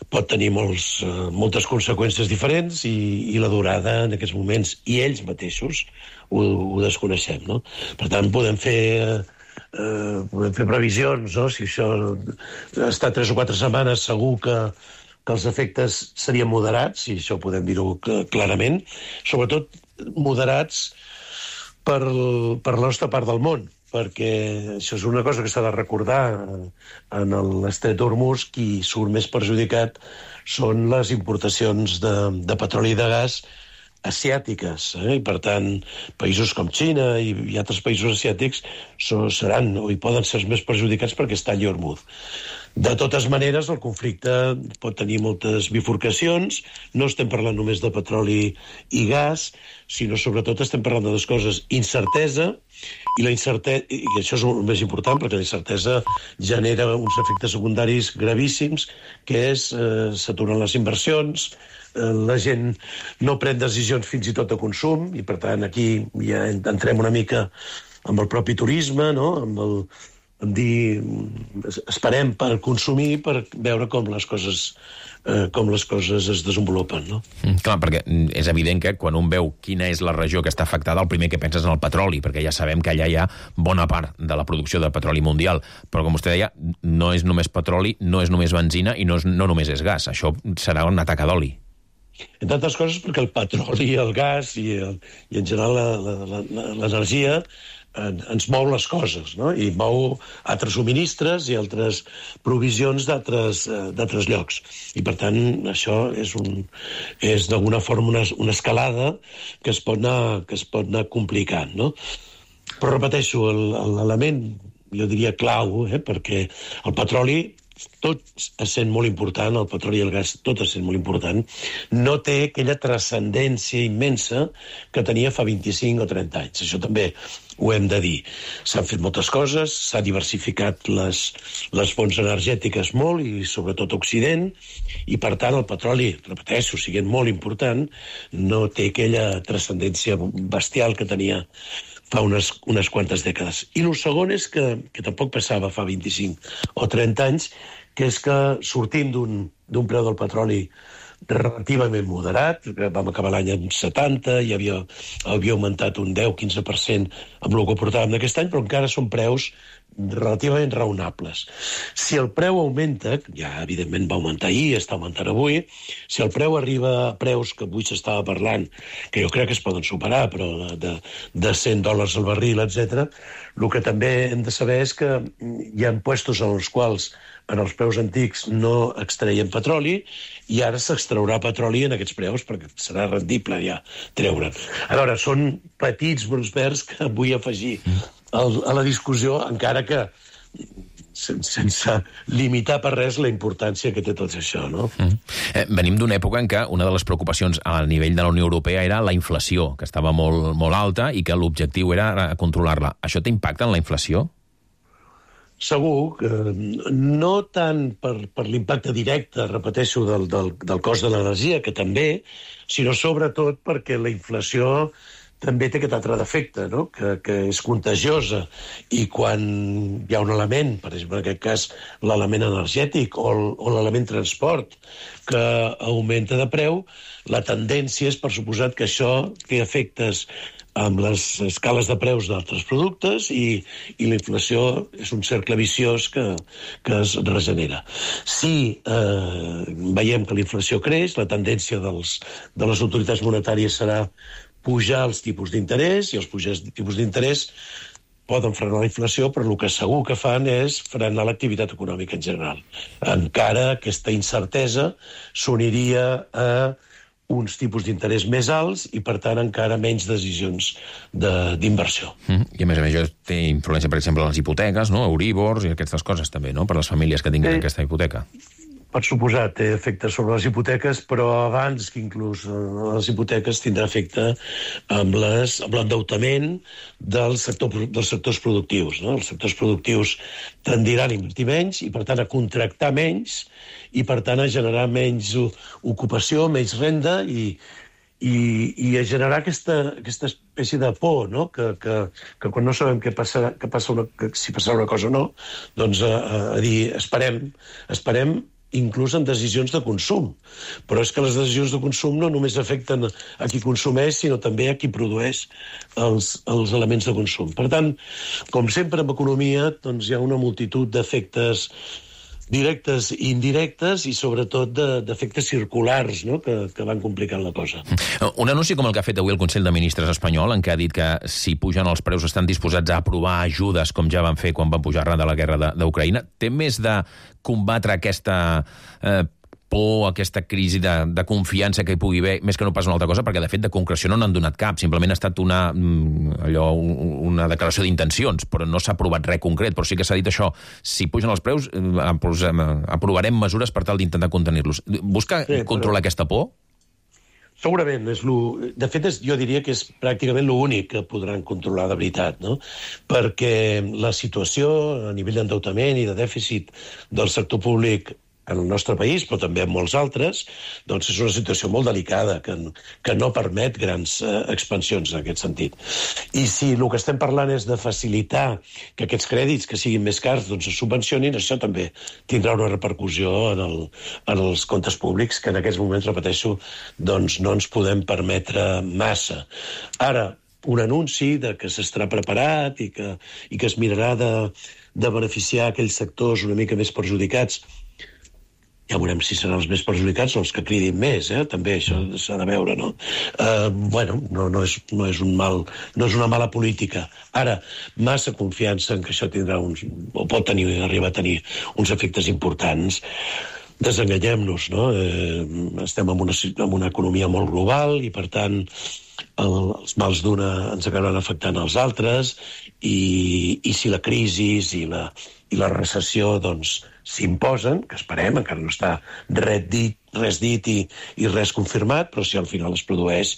pot tenir moltes conseqüències diferents i la durada en aquests moments, i ells mateixos ho desconeixem, no? Per tant, podem fer previsions, no? Si això està 3 o 4 setmanes, segur que els efectes serien moderats, i això podem dir-ho clarament, sobretot moderats per la nostra part del món, perquè això és una cosa que s'ha de recordar en l'estret d'Hormuz. Qui surt més perjudicat són les importacions de petroli i de gas asiàtiques, i per tant països com Xina i altres països asiàtics seran o hi poden ser els més perjudicats perquè està allà Hormuz. De totes maneres, el conflicte pot tenir moltes bifurcacions. No estem parlant només de petroli i gas, sinó sobretot estem parlant de dues coses: incertesa, i això és el més important, perquè la incertesa genera uns efectes secundaris gravíssims, que és s'aturen les inversions, la gent no pren decisions fins i tot de consum, i per tant aquí ja entrem una mica amb el propi turisme, no? Esperem per consumir, per veure com les coses es desenvolupen, no? Clar, perquè és evident que quan un veu quina és la regió que està afectada, el primer que penses en el petroli, perquè ja sabem que allà hi ha bona part de la producció de petroli mundial, però com vostè deia, no és només petroli, no és només benzina i no només és gas. Això serà una taca d'oli. Entre altres coses perquè el petroli, el gas i en general l'energia ens mou les coses, no? I mou altres subministres i altres provisions d'altres llocs. I, per tant, això és d'alguna forma una escalada que es pot anar complicant, no? Però repeteixo, l'element, jo diria clau, perquè el petroli, tot essent molt important, el petroli i el gas, tot essent molt important, no té aquella transcendència immensa que tenia fa 25 o 30 anys. Això també ho hem de dir. S'han fet moltes coses, s'ha diversificat les fonts energètiques molt, i sobretot a Occident, i per tant el petroli, repeteixo, siguent molt important, no té aquella transcendència bestial que tenia fa unes quantes dècades. I el segon és que tampoc passava fa 25 o 30 anys, que és que sortim d'un preu del petroli relativament moderat, vam acabar l'any en 70, i havia augmentat un 10-15% amb el que portàvem d'aquest any, però encara són preus relativament raonables. Si el preu augmenta, ja evidentment va augmentar ahir, està augmentant avui, si el preu arriba a preus que avui s'estava parlant, que jo crec que es poden superar, però de $100 al barril, etc., el que també hem de saber és que hi ha puestos en els quals en els preus antics no extraiem petroli, i ara s'extraurà petroli en aquests preus, perquè serà rendible ja treure'n. A veure, són petits brots verds que vull afegir a la discussió, encara que sense limitar per res la importància que té tot això, no? Venim d'una època en què una de les preocupacions a nivell de la Unió Europea era la inflació, que estava molt, molt alta i que l'objectiu era controlar-la. Això té impacte en la inflació? Segur que no tant per l'impacte directe, repeteixo, del cost de l'energia, que també, sinó sobretot perquè la inflació també té aquest altre defecte, no? Que és contagiosa, i quan hi ha un element, per exemple, en aquest cas l'element energètic o l'element transport, que augmenta de preu, la tendència és, per suposat, que això té efectes amb les escales de preus d'altres productes, i la inflació és un cercle viciós que es regenera. Si veiem que la inflació creix, la tendència de les autoritats monetàries serà pujar els tipus d'interès, i els pujats de tipus d'interès poden frenar la inflació, però el que segur que fan és frenar l'activitat econòmica en general. Encara aquesta incertesa s'uniria a uns tipus d'interès més alts i, per tant, encara menys decisions d'inversió. I, a més, això té influència, per exemple, en les hipoteques, no? Euribors i aquestes coses també, no? Per a les famílies que tinguin aquesta hipoteca. Per suposat, té efecte sobre les hipoteques, però abans que inclús les hipoteques tindrà efecte amb l'endeutament dels sectors productius, no? Els sectors productius tendiran a invertir menys i, per tant, a contractar menys, i, per tant, a generar menys ocupació, menys renda, i i a generar aquesta espècie de por, no? Que quan no sabem si passarà una cosa o no, doncs a dir, esperem inclús en decisions de consum. Però és que les decisions de consum no només afecten a qui consumeix, sinó també a qui produeix els elements de consum. Per tant, com sempre en economia, doncs hi ha una multitud d'efectes directes i indirectes i sobretot d'efectes circulars, no? que van complicant la cosa. Un anunci com el que ha fet avui el Consell de Ministres espanyol, en què ha dit que si pugen els preus estan disposats a aprovar ajudes, com ja van fer quan van pujar arran de la guerra d'Ucraïna, té més de combatre aquesta por, aquesta crisi de confiança que hi pugui haver, més que no pas una altra cosa, perquè de fet de concreció no n'han donat cap, simplement ha estat una declaració d'intencions, però no s'ha aprovat res concret, però sí que s'ha dit això, si pugen els preus aprovarem mesures per tal d'intentar contenir-los. Busca controlar aquesta por? Segurament. De fet, jo diria que és pràcticament l'únic que podran controlar de veritat, no? Perquè la situació a nivell d'endeutament i de dèficit del sector públic en el nostre país, però també en molts altres, doncs és una situació molt delicada, que no permet grans expansions en aquest sentit. I si el que estem parlant és de facilitar que aquests crèdits que siguin més cars doncs es subvencionin, això també tindrà una repercussió en els comptes públics, que en aquests moments, repeteixo, doncs no ens podem permetre massa. Ara, un anunci de que s'estarà preparat i que es mirarà de beneficiar aquells sectors una mica més perjudicats. Ja veurem si seran els més perjudicats o els que cridin més, també això s'ha de veure, no? No és una mala política. Ara, massa confiança en que això tindrà o pot arribar a tenir uns efectes importants. Desenganyem-nos, no? Estem en una economia molt global i, per tant, els mals d'una ens acabaran afectant als altres i si la crisi i la recessió, doncs, s'imposen, que esperem, encara no està res dit i res confirmat, però si al final es produeix,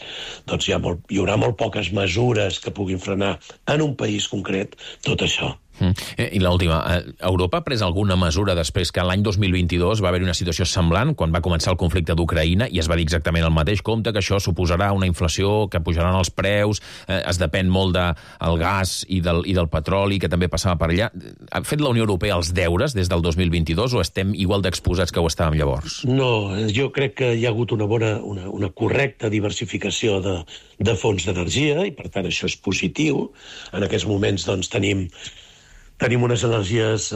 doncs hi haurà molt poques mesures que puguin frenar en un país concret tot això. I l'última, Europa ha pres alguna mesura després que l'any 2022 va haver una situació semblant, quan va començar el conflicte d'Ucraïna, i es va dir exactament el mateix, compte que això suposarà una inflació, que pujaran els preus, es depèn molt del gas i del petroli, que també passava per allà. Ha fet la Unió Europea els deures des del 2022 o estem igual d'exposats que ho estàvem llavors? No, jo crec que hi ha hagut una correcta diversificació de fonts d'energia i, per tant, això és positiu. En aquests moments, doncs, tenim unes energies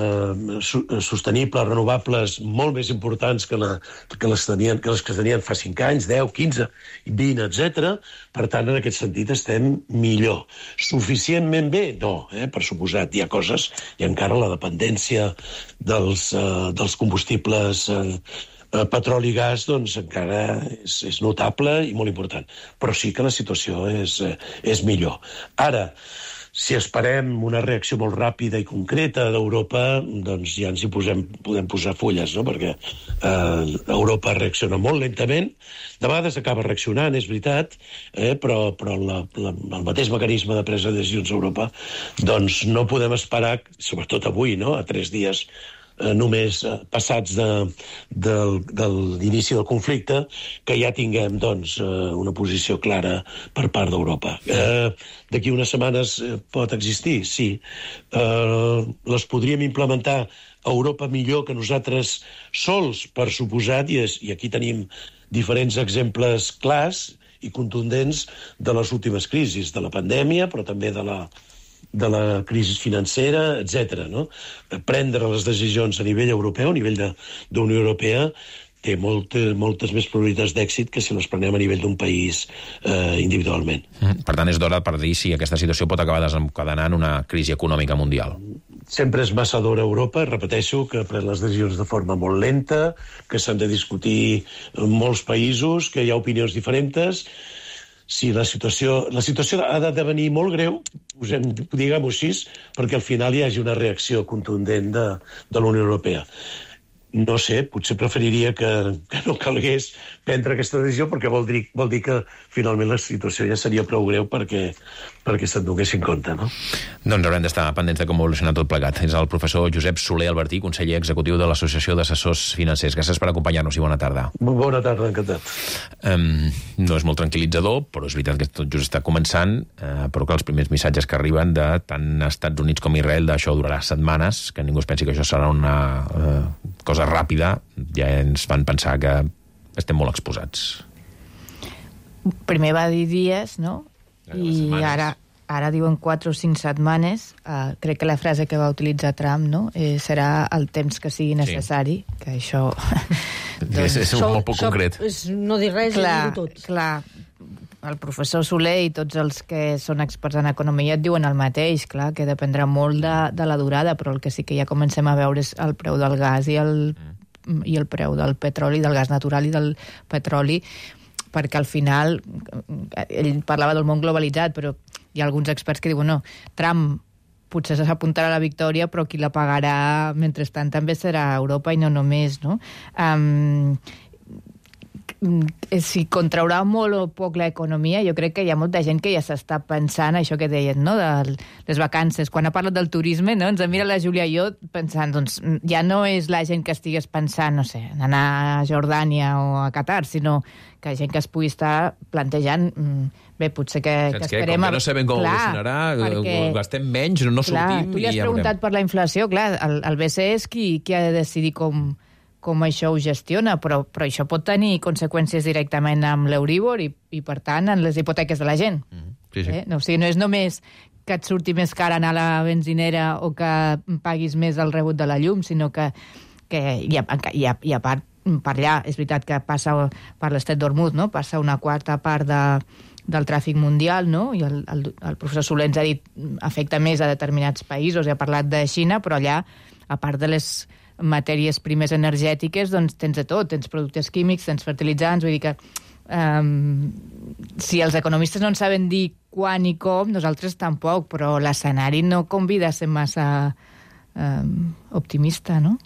sostenibles, renovables, molt més importants que les que tenien fa 5 anys, 10, 15, 20, etc. Per tant, en aquest sentit, estem millor. Suficientment bé? No, per suposat. Hi ha coses, i encara la dependència dels combustibles petroli i gas, doncs encara és notable i molt important. Però sí que la situació és millor. Ara, si esperem una reacció molt ràpida i concreta d'Europa, doncs ja ens hi podem posar fulles, no? Perquè Europa reacciona molt lentament, de vegades acaba reaccionant, és veritat, però el mateix mecanisme de presa de decisions a Europa, doncs no podem esperar, sobretot avui, no? A 3 dies només passats de l'inici del conflicte, que ja tinguem doncs, una posició clara per part d'Europa. D'aquí unes setmanes pot existir? Sí. Les podríem implementar a Europa millor que nosaltres sols, per suposat, i aquí tenim diferents exemples clars i contundents de les últimes crisis, de la pandèmia, però també de la crisi financera, etc. No? Prendre les decisions a nivell europeu, a nivell d'Unió Europea, té moltes més probabilitats d'èxit que si les prenem a nivell d'un país individualment. Per tant, és d'hora per dir si aquesta situació pot acabar desencadenant una crisi econòmica mundial. Sempre és massa d'hora a Europa, repeteixo, que pren les decisions de forma molt lenta, que s'han de discutir en molts països, que hi ha opinions diferents. Si la situació ha de venir molt greu, diguem-ho així, perquè al final hi hagi una reacció contundent de la Unió Europea. no sé, potser preferiria que no calgués prendre aquesta decisió, perquè vol dir que finalment la situació ja seria prou greu perquè se'n donés en compte, no? Doncs haurem d'estar pendents de com evoluciona tot plegat. És el professor Josep Soler Albertí, conseller executiu de l'Associació d'Assessors Financers. Gràcies per acompanyar-nos i bona tarda. Bona tarda, encantat. No és molt tranquil·litzador, però és veritat que tot just està començant, però que els primers missatges que arriben de tant Estats Units com Israel d'això durarà setmanes, que ningú es pensi que això serà una cosa ràpida, ja ens fan pensar que estem molt exposats. Primer va dir dies, no? I ara diuen 4 o 5 setmanes. Crec que la frase que va utilitzar Trump, no? Serà el temps que sigui necessari, que això... és molt poc concret. És no dir res i dir-ho tot. Clar, el professor Soler i tots els que són experts en economia et diuen el mateix, clar, que dependrà molt de la durada, però el que sí que ja comencem a veure és el preu del gas i el preu del petroli, del gas natural i del petroli, perquè al final, ell parlava del món globalitzat, però hi ha alguns experts que diuen, no, Trump potser s'apuntarà a la victòria, però qui la pagarà mentrestant també serà Europa i no només, no? Si contraurà molt o poc l'economia, jo crec que hi ha molta gent que ja s'està pensant això que deien, no?, de les vacances. Quan ha parlat del turisme, no?, ens mira la Júlia i jo pensant, doncs, ja no és la gent que estigués pensant, no sé, en anar a Jordània o a Qatar, sinó que gent que es pugui estar plantejant, bé, potser que esperem... Com que no sabem com evolucionarà, gastem menys, no sortim... Tu li has preguntat per la inflació, clar, el BCE és qui ha de decidir com això ho gestiona, però això pot tenir conseqüències directament amb l'Euríbor i per tant, en les hipoteques de la gent. Sí. O sigui, no és només que et surti més car anar a la benzinera o que paguis més el rebut de la llum, sinó que i a part, per allà, és veritat que passa per l'Estret d'Hormuz, no? Passa una quarta part del tràfic mundial, no? I el professor Soler ens ha dit afecta més a determinats països, ha parlat de Xina, però allà, a part de les matèries primes energètiques, doncs tens de tot, tens productes químics, tens fertilitzants, vull dir que si els economistes no en saben dir quan i com, nosaltres tampoc, però l'escenari no convida a ser massa optimista, no?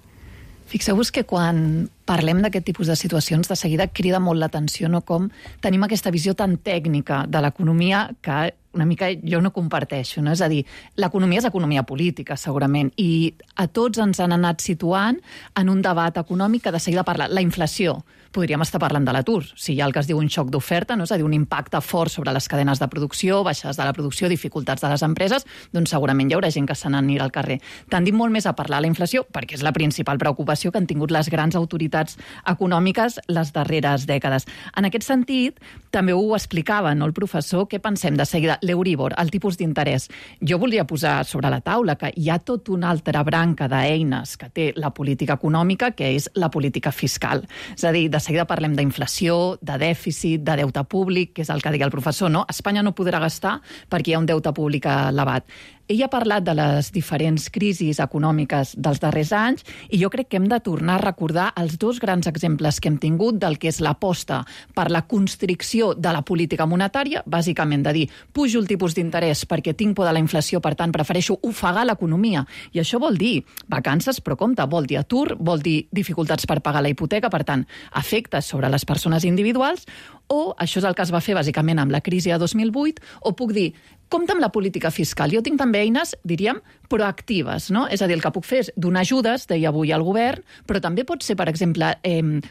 Fixeu-vos que quan parlem d'aquest tipus de situacions, de seguida crida molt l'atenció, no?, com tenim aquesta visió tan tècnica de l'economia que una mica jo no comparteixo, no? És a dir, l'economia és economia política, segurament, i a tots ens han anat situant en un debat econòmic que de seguida parla. La inflació, podríem estar parlant de l'atur, si hi ha el que es diu un xoc d'oferta, no? És a dir, un impacte fort sobre les cadenes de producció, baixades de la producció, dificultats de les empreses, doncs segurament hi haurà gent que se n'anirà al carrer. Tendim molt més a parlar de la inflació, perquè és la principal preocupació que han tingut les grans autoritats econòmiques les darreres dècades. En aquest sentit, també ho explicava, no, el professor, què pensem de seguida? L'Euríbor, el tipus d'interès. Jo voldria posar sobre la taula que hi ha tot una altra branca d'eines que té la política econòmica, que és la política fiscal. És a dir, de seguida parlem d'inflació, de dèficit, de deute públic, que és el que deia el professor, no? Espanya no podrà gastar perquè hi ha un deute públic elevat. Ell ha parlat de les diferents crisis econòmiques dels darrers anys i jo crec que hem de tornar a recordar els dos grans exemples que hem tingut del que és l'aposta per la constricció de la política monetària, bàsicament de dir, pujo el tipus d'interès perquè tinc por de la inflació, per tant prefereixo ofegar l'economia. I això vol dir vacances, però compte, vol dir atur, vol dir dificultats per pagar la hipoteca, per tant, efectes sobre les persones individuals, o això és el que es va fer bàsicament amb la crisi de 2008, o puc dir, compte amb la política fiscal. Jo tinc també eines, diríem, proactives, no? És a dir, el que puc fer és donar ajudes, deia avui al govern, però també pot ser, per exemple,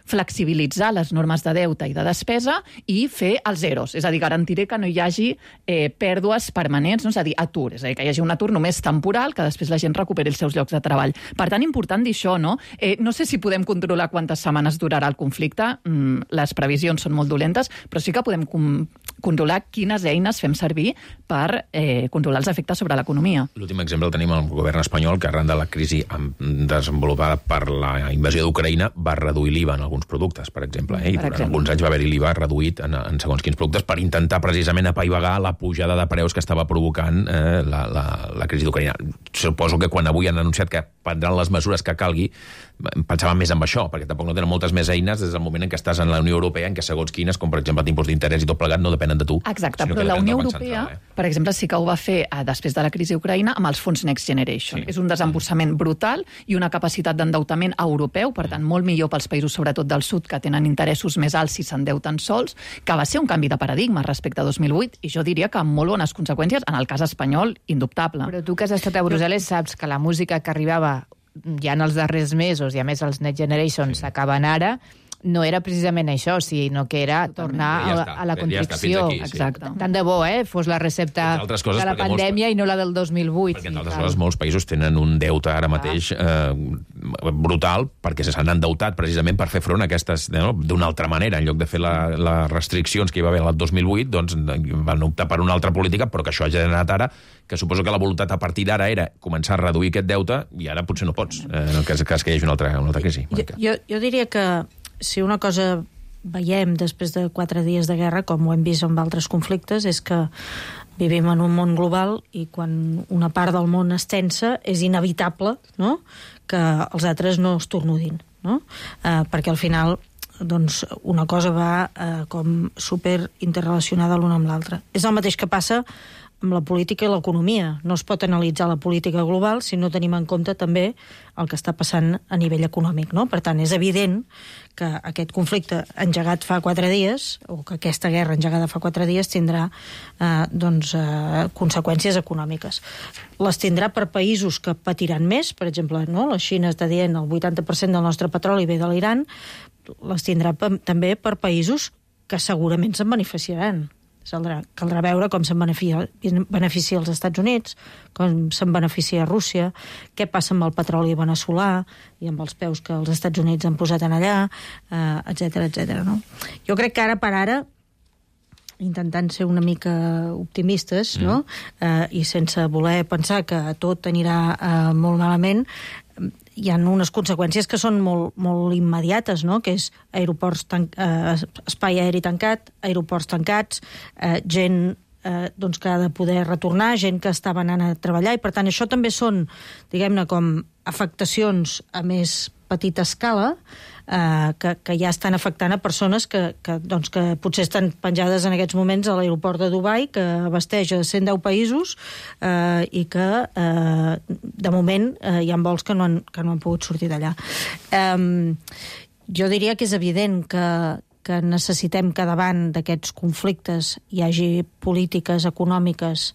flexibilitzar les normes de deute i de despesa i fer els zeros. És a dir, garantiré que no hi hagi pèrdues permanents, no? És a dir, atur. És a dir, que hi hagi un atur només temporal, que després la gent recuperi els seus llocs de treball. Per tant, important dir això, no? No sé si podem controlar quantes setmanes durarà el conflicte, les previsions són molt dolentes, però sí que podem controlar quines eines fem servir per controlar els efectes sobre l'economia. L'últim exemple el tenim al govern espanyol, que arran de la crisi desenvolupada per la invasió d'Ucraïna va reduir l'IVA en alguns productes, per exemple. I durant alguns anys va haver-hi l'IVA reduït en segons quins productes per intentar precisament apaivagar la pujada de preus que estava provocant la crisi d'Ucraïna. Suposo que quan avui han anunciat que prendran les mesures que calgui, pensaven més en això, perquè tampoc no tenen moltes més eines des del moment en què estàs en la Unió Europea, en què segons quines, com per exemple tipus d'interès i tot plegat, no depèn depenen de tu. Exacte, però la Unió Europea, per exemple, sí que ho va fer després de la crisi a Ucraïna amb els fons Next Generation. És un desemborsament brutal i una capacitat d'endeutament europeu, per tant, molt millor pels països, sobretot del sud, que tenen interessos més alts si s'endeuten sols, que va ser un canvi de paradigma respecte a 2008, i jo diria que amb molt bones conseqüències, en el cas espanyol, indubtable. Però tu que has estat a Brussel·les saps que la música que arribava ja en els darrers mesos, i a més els Next Generation s'acaben ara, no era precisament això, sinó que era tornar a la contracció. Exacte. Tant de bo, fos la recepta de la pandèmia i no la del 2008. Perquè, entre altres coses, molts països tenen un deute ara mateix brutal, perquè s'han endeutat precisament per fer front a aquestes, d'una altra manera. En lloc de fer les restriccions que hi va haver el 2008, doncs van optar per una altra política, però que això ha generat ara, que suposo que la voluntat a partir d'ara era començar a reduir aquest deute, i ara potser no pots, en el cas que hi hagi una altra crisi. Jo diria que si una cosa veiem després de 4 dies de guerra, com ho hem vist amb altres conflictes, és que vivim en un món global i quan una part del món es tensa és inevitable, no?, que els altres no es tornudin, no? Perquè al final doncs, una cosa va com super interrelacionada l'una amb l'altra. És el mateix que passa amb la política i l'economia. No es pot analitzar la política global si no tenim en compte també el que està passant a nivell econòmic, no? Per tant, és evident que aquest conflicte engegat fa 4 dies, o que aquesta guerra engegada fa 4 dies, tindrà conseqüències econòmiques. Les tindrà per països que patiran més, per exemple, no? La Xina està dient el 80% del nostre petroli ve de l'Iran, les tindrà també per països que segurament se'n beneficiaran. Caldrà veure com se'n beneficia els Estats Units, com se'n beneficia Rússia, què passa amb el petroli veneçolà i amb els peus que els Estats Units han posat en allà, etc. No? Jo crec que ara per ara, intentant ser una mica optimistes, no? I sense voler pensar que tot anirà molt malament, hi ha unes conseqüències que són molt immediates, no? Que és espai aeri tancat, aeroports tancats, gent que ha de poder retornar, gent que estava anant a treballar, i per tant això també són, diguem-ne, com afectacions a més petita escala, que ja estan afectant a persones que potser estan penjades en aquests moments a l'aeroport de Dubai, que abasteix a 110 països i que de moment hi ha vols que no han pogut sortir d'allà. Jo diria que és evident que necessitem que davant d'aquests conflictes hi hagi polítiques econòmiques,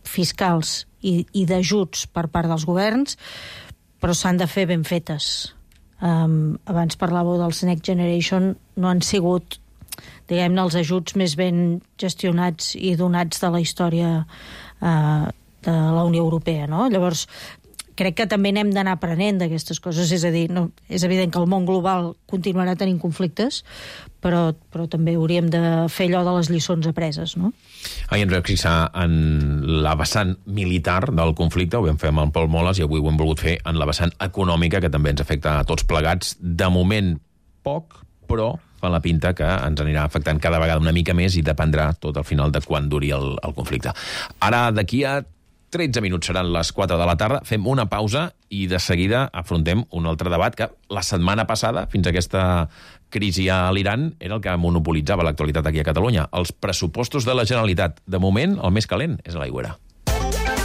fiscals i d'ajuts per part dels governs, però s'han de fer ben fetes. Abans parlàveu dels Next Generation, no han sigut, diguem-ne, els ajuts més ben gestionats i donats de la història de la Unió Europea, no? Llavors, crec que també n'hem d'anar aprenent d'aquestes coses, és a dir, no, és evident que el món global continuarà tenint conflictes, però també hauríem de fer allò de les lliçons apreses, no? Ahir ens vam fixar en la vessant militar del conflicte, ho vam fer amb en Pol Moles, i avui ho hem volgut fer en la vessant econòmica, que també ens afecta a tots plegats. De moment, poc, però fa la pinta que ens anirà afectant cada vegada una mica més i dependrà tot al final de quan duri el conflicte. Ara, d'aquí a 13 minuts seran les 4 de la tarda, fem una pausa i de seguida afrontem un altre debat que la setmana passada, fins a aquesta crisi a l'Iran, era el que monopolitzava l'actualitat aquí a Catalunya. Els pressupostos de la Generalitat. De moment, el més calent és a l'Aigüera.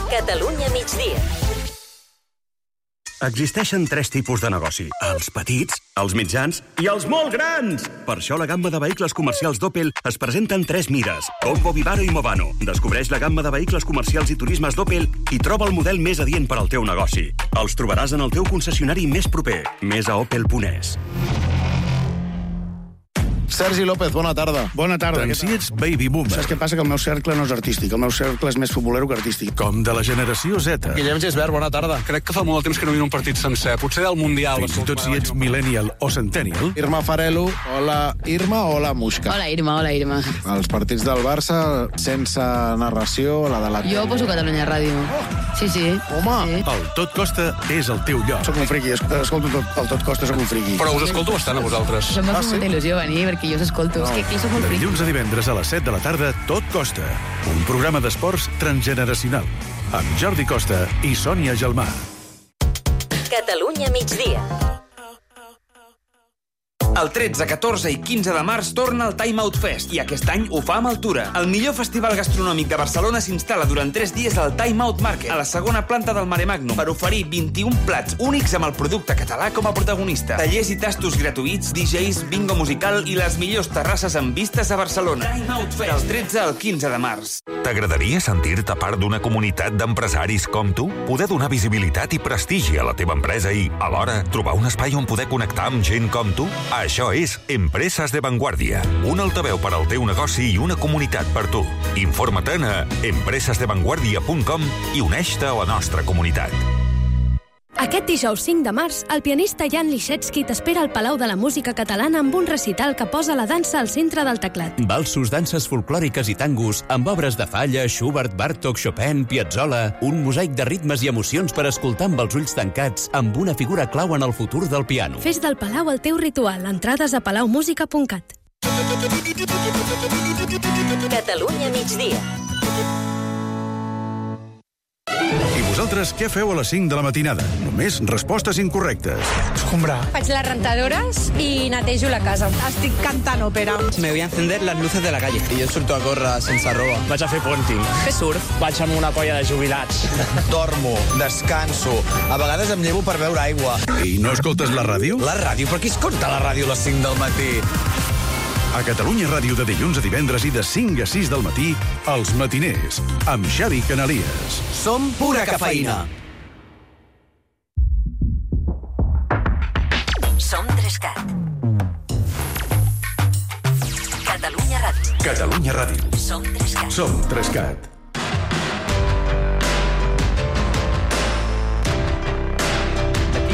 Catalunya migdia. Existeixen 3 tipus de negoci. Els petits, els mitjans i els molt grans. Per això la gamma de vehicles comercials d'Opel es presenta en 3 mides. Combo, Vivaro i Movano. Descobreix la gamma de vehicles comercials i turismes d'Opel i troba el model més adient per al teu negoci. Els trobaràs en el teu concessionari més proper. Més a opel.es. Sergi López, bona tarda. Bona tarda. Doncs si ets baby boomer. Saps què passa? Que el meu cercle no és artístic. El meu cercle és més futbolero que artístic. Com de la generació Z. Guillem Gisbert, bona tarda. Crec que fa molt de temps que no miro un partit sencer. Potser del Mundial. Fins i tot si ets millennial o centennial. Irma Farelo, hola Irma, hola Muixca. Hola Irma, hola Irma. Els partits del Barça sense narració, la de la... Jo poso Catalunya Ràdio. Sí, sí. Home! Sí. El Tot Costa és el teu lloc. Soc un friqui, escolto el Tot Costa, soc un friqui. Però us escolto bastant a vosaltres. Això em fa molta il·lusió venir, perquè jo us escolto. És que soc molt friqui. Dilluns a divendres a les 7 de la tarda, Tot Costa. Un programa d'esports transgeneracional. Amb Jordi Costa i Sònia Gelmà. Catalunya migdia. El 13, 14 i 15 de març torna el Time Out Fest i aquest any ho fa amb Altura. El millor festival gastronòmic de Barcelona s'instal·la durant 3 dies al Time Out Market, a la segona planta del Mare Magnum, per oferir 21 plats únics amb el producte català com a protagonista. Tallers i tastos gratuïts, DJs, bingo musical i les millors terrasses amb vistes a Barcelona. Time Out Fest, del 13 al 15 de març. T'agradaria sentir-te part d'una comunitat d'empresaris com tu? Poder donar visibilitat i prestigi a la teva empresa i, alhora, trobar un espai on poder connectar amb gent com tu? Això és Empreses de Vanguardia, un altaveu per al teu negoci i una comunitat per tu. Informa-te'n a empresesdevanguardia.com i uneix-te a la nostra comunitat. Aquest dijous 5 de març, el pianista Jan Liszewski t'espera al Palau de la Música Catalana amb un recital que posa la dansa al centre del teclat. Valsos, danses folclòriques i tangos, amb obres de Falla, Schubert, Bartók, Chopin, Piazzolla, un mosaic de ritmes i emocions per escoltar amb els ulls tancats, amb una figura clau en el futur del piano. Fes del Palau el teu ritual. Entrades a palaumusica.cat. Catalunya migdia. I vosaltres què feu a les 5 de la matinada? Només respostes incorrectes. Escombrar. Faig les rentadores i netejo la casa. Estic cantant òpera. Me voy a encender las luces de la calle. I jo surto a córrer sense roba. Vaig a fer puenting. Fer surf. Vaig amb una colla de jubilats. Dormo, descanso. A vegades em llevo per beure aigua. I no escoltes la ràdio? La ràdio? Per qui escolta la ràdio a les 5 del matí? A Catalunya Ràdio de dilluns a divendres i de 5 a 6 del matí, Els Matiners, amb Xavi Canalies. Som pura cafeïna. Som 3CAT. Catalunya Ràdio. Catalunya Ràdio. Som 3CAT. Som 3CAT.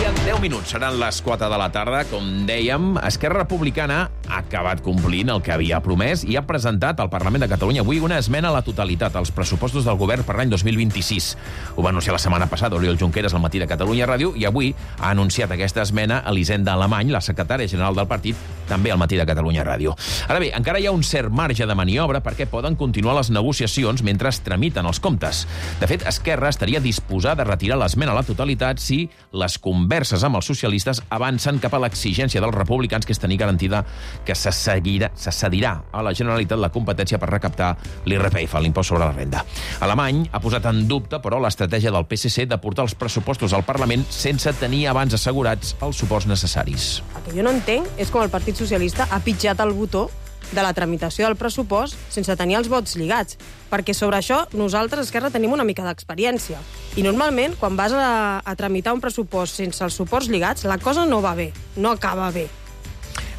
En 10 minuts seran les 4 de la tarda. Com dèiem, Esquerra Republicana ha acabat complint el que havia promès i ha presentat al Parlament de Catalunya avui una esmena a la totalitat als pressupostos del govern per l'any 2026. Ho va anunciar la setmana passada Oriol Junqueras al matí de Catalunya Ràdio i avui ha anunciat aquesta esmena Elisenda Alemany, la secretària general del partit, també al matí de Catalunya Ràdio. Ara bé, encara hi ha un cert marge de maniobra perquè poden continuar les negociacions mentre es tramiten els comptes. De fet, Esquerra estaria disposada a retirar l'esmena a la totalitat si les converses amb els socialistes avancen cap a l'exigència dels republicans, que és tenir garantida que se cedirà a la Generalitat la competència per recaptar l'IRPF, l'impost sobre la renda. Alemany ha posat en dubte, però, l'estratègia del PSC de portar els pressupostos al Parlament sense tenir abans assegurats els suports necessaris. El que jo no entenc és com el Partit Socialista ha pitjat el botó de la tramitació del pressupost sense tenir els vots lligats, perquè sobre això nosaltres, Esquerra, tenim una mica d'experiència. I normalment, quan vas a tramitar un pressupost sense els suports lligats, la cosa no va bé, no acaba bé.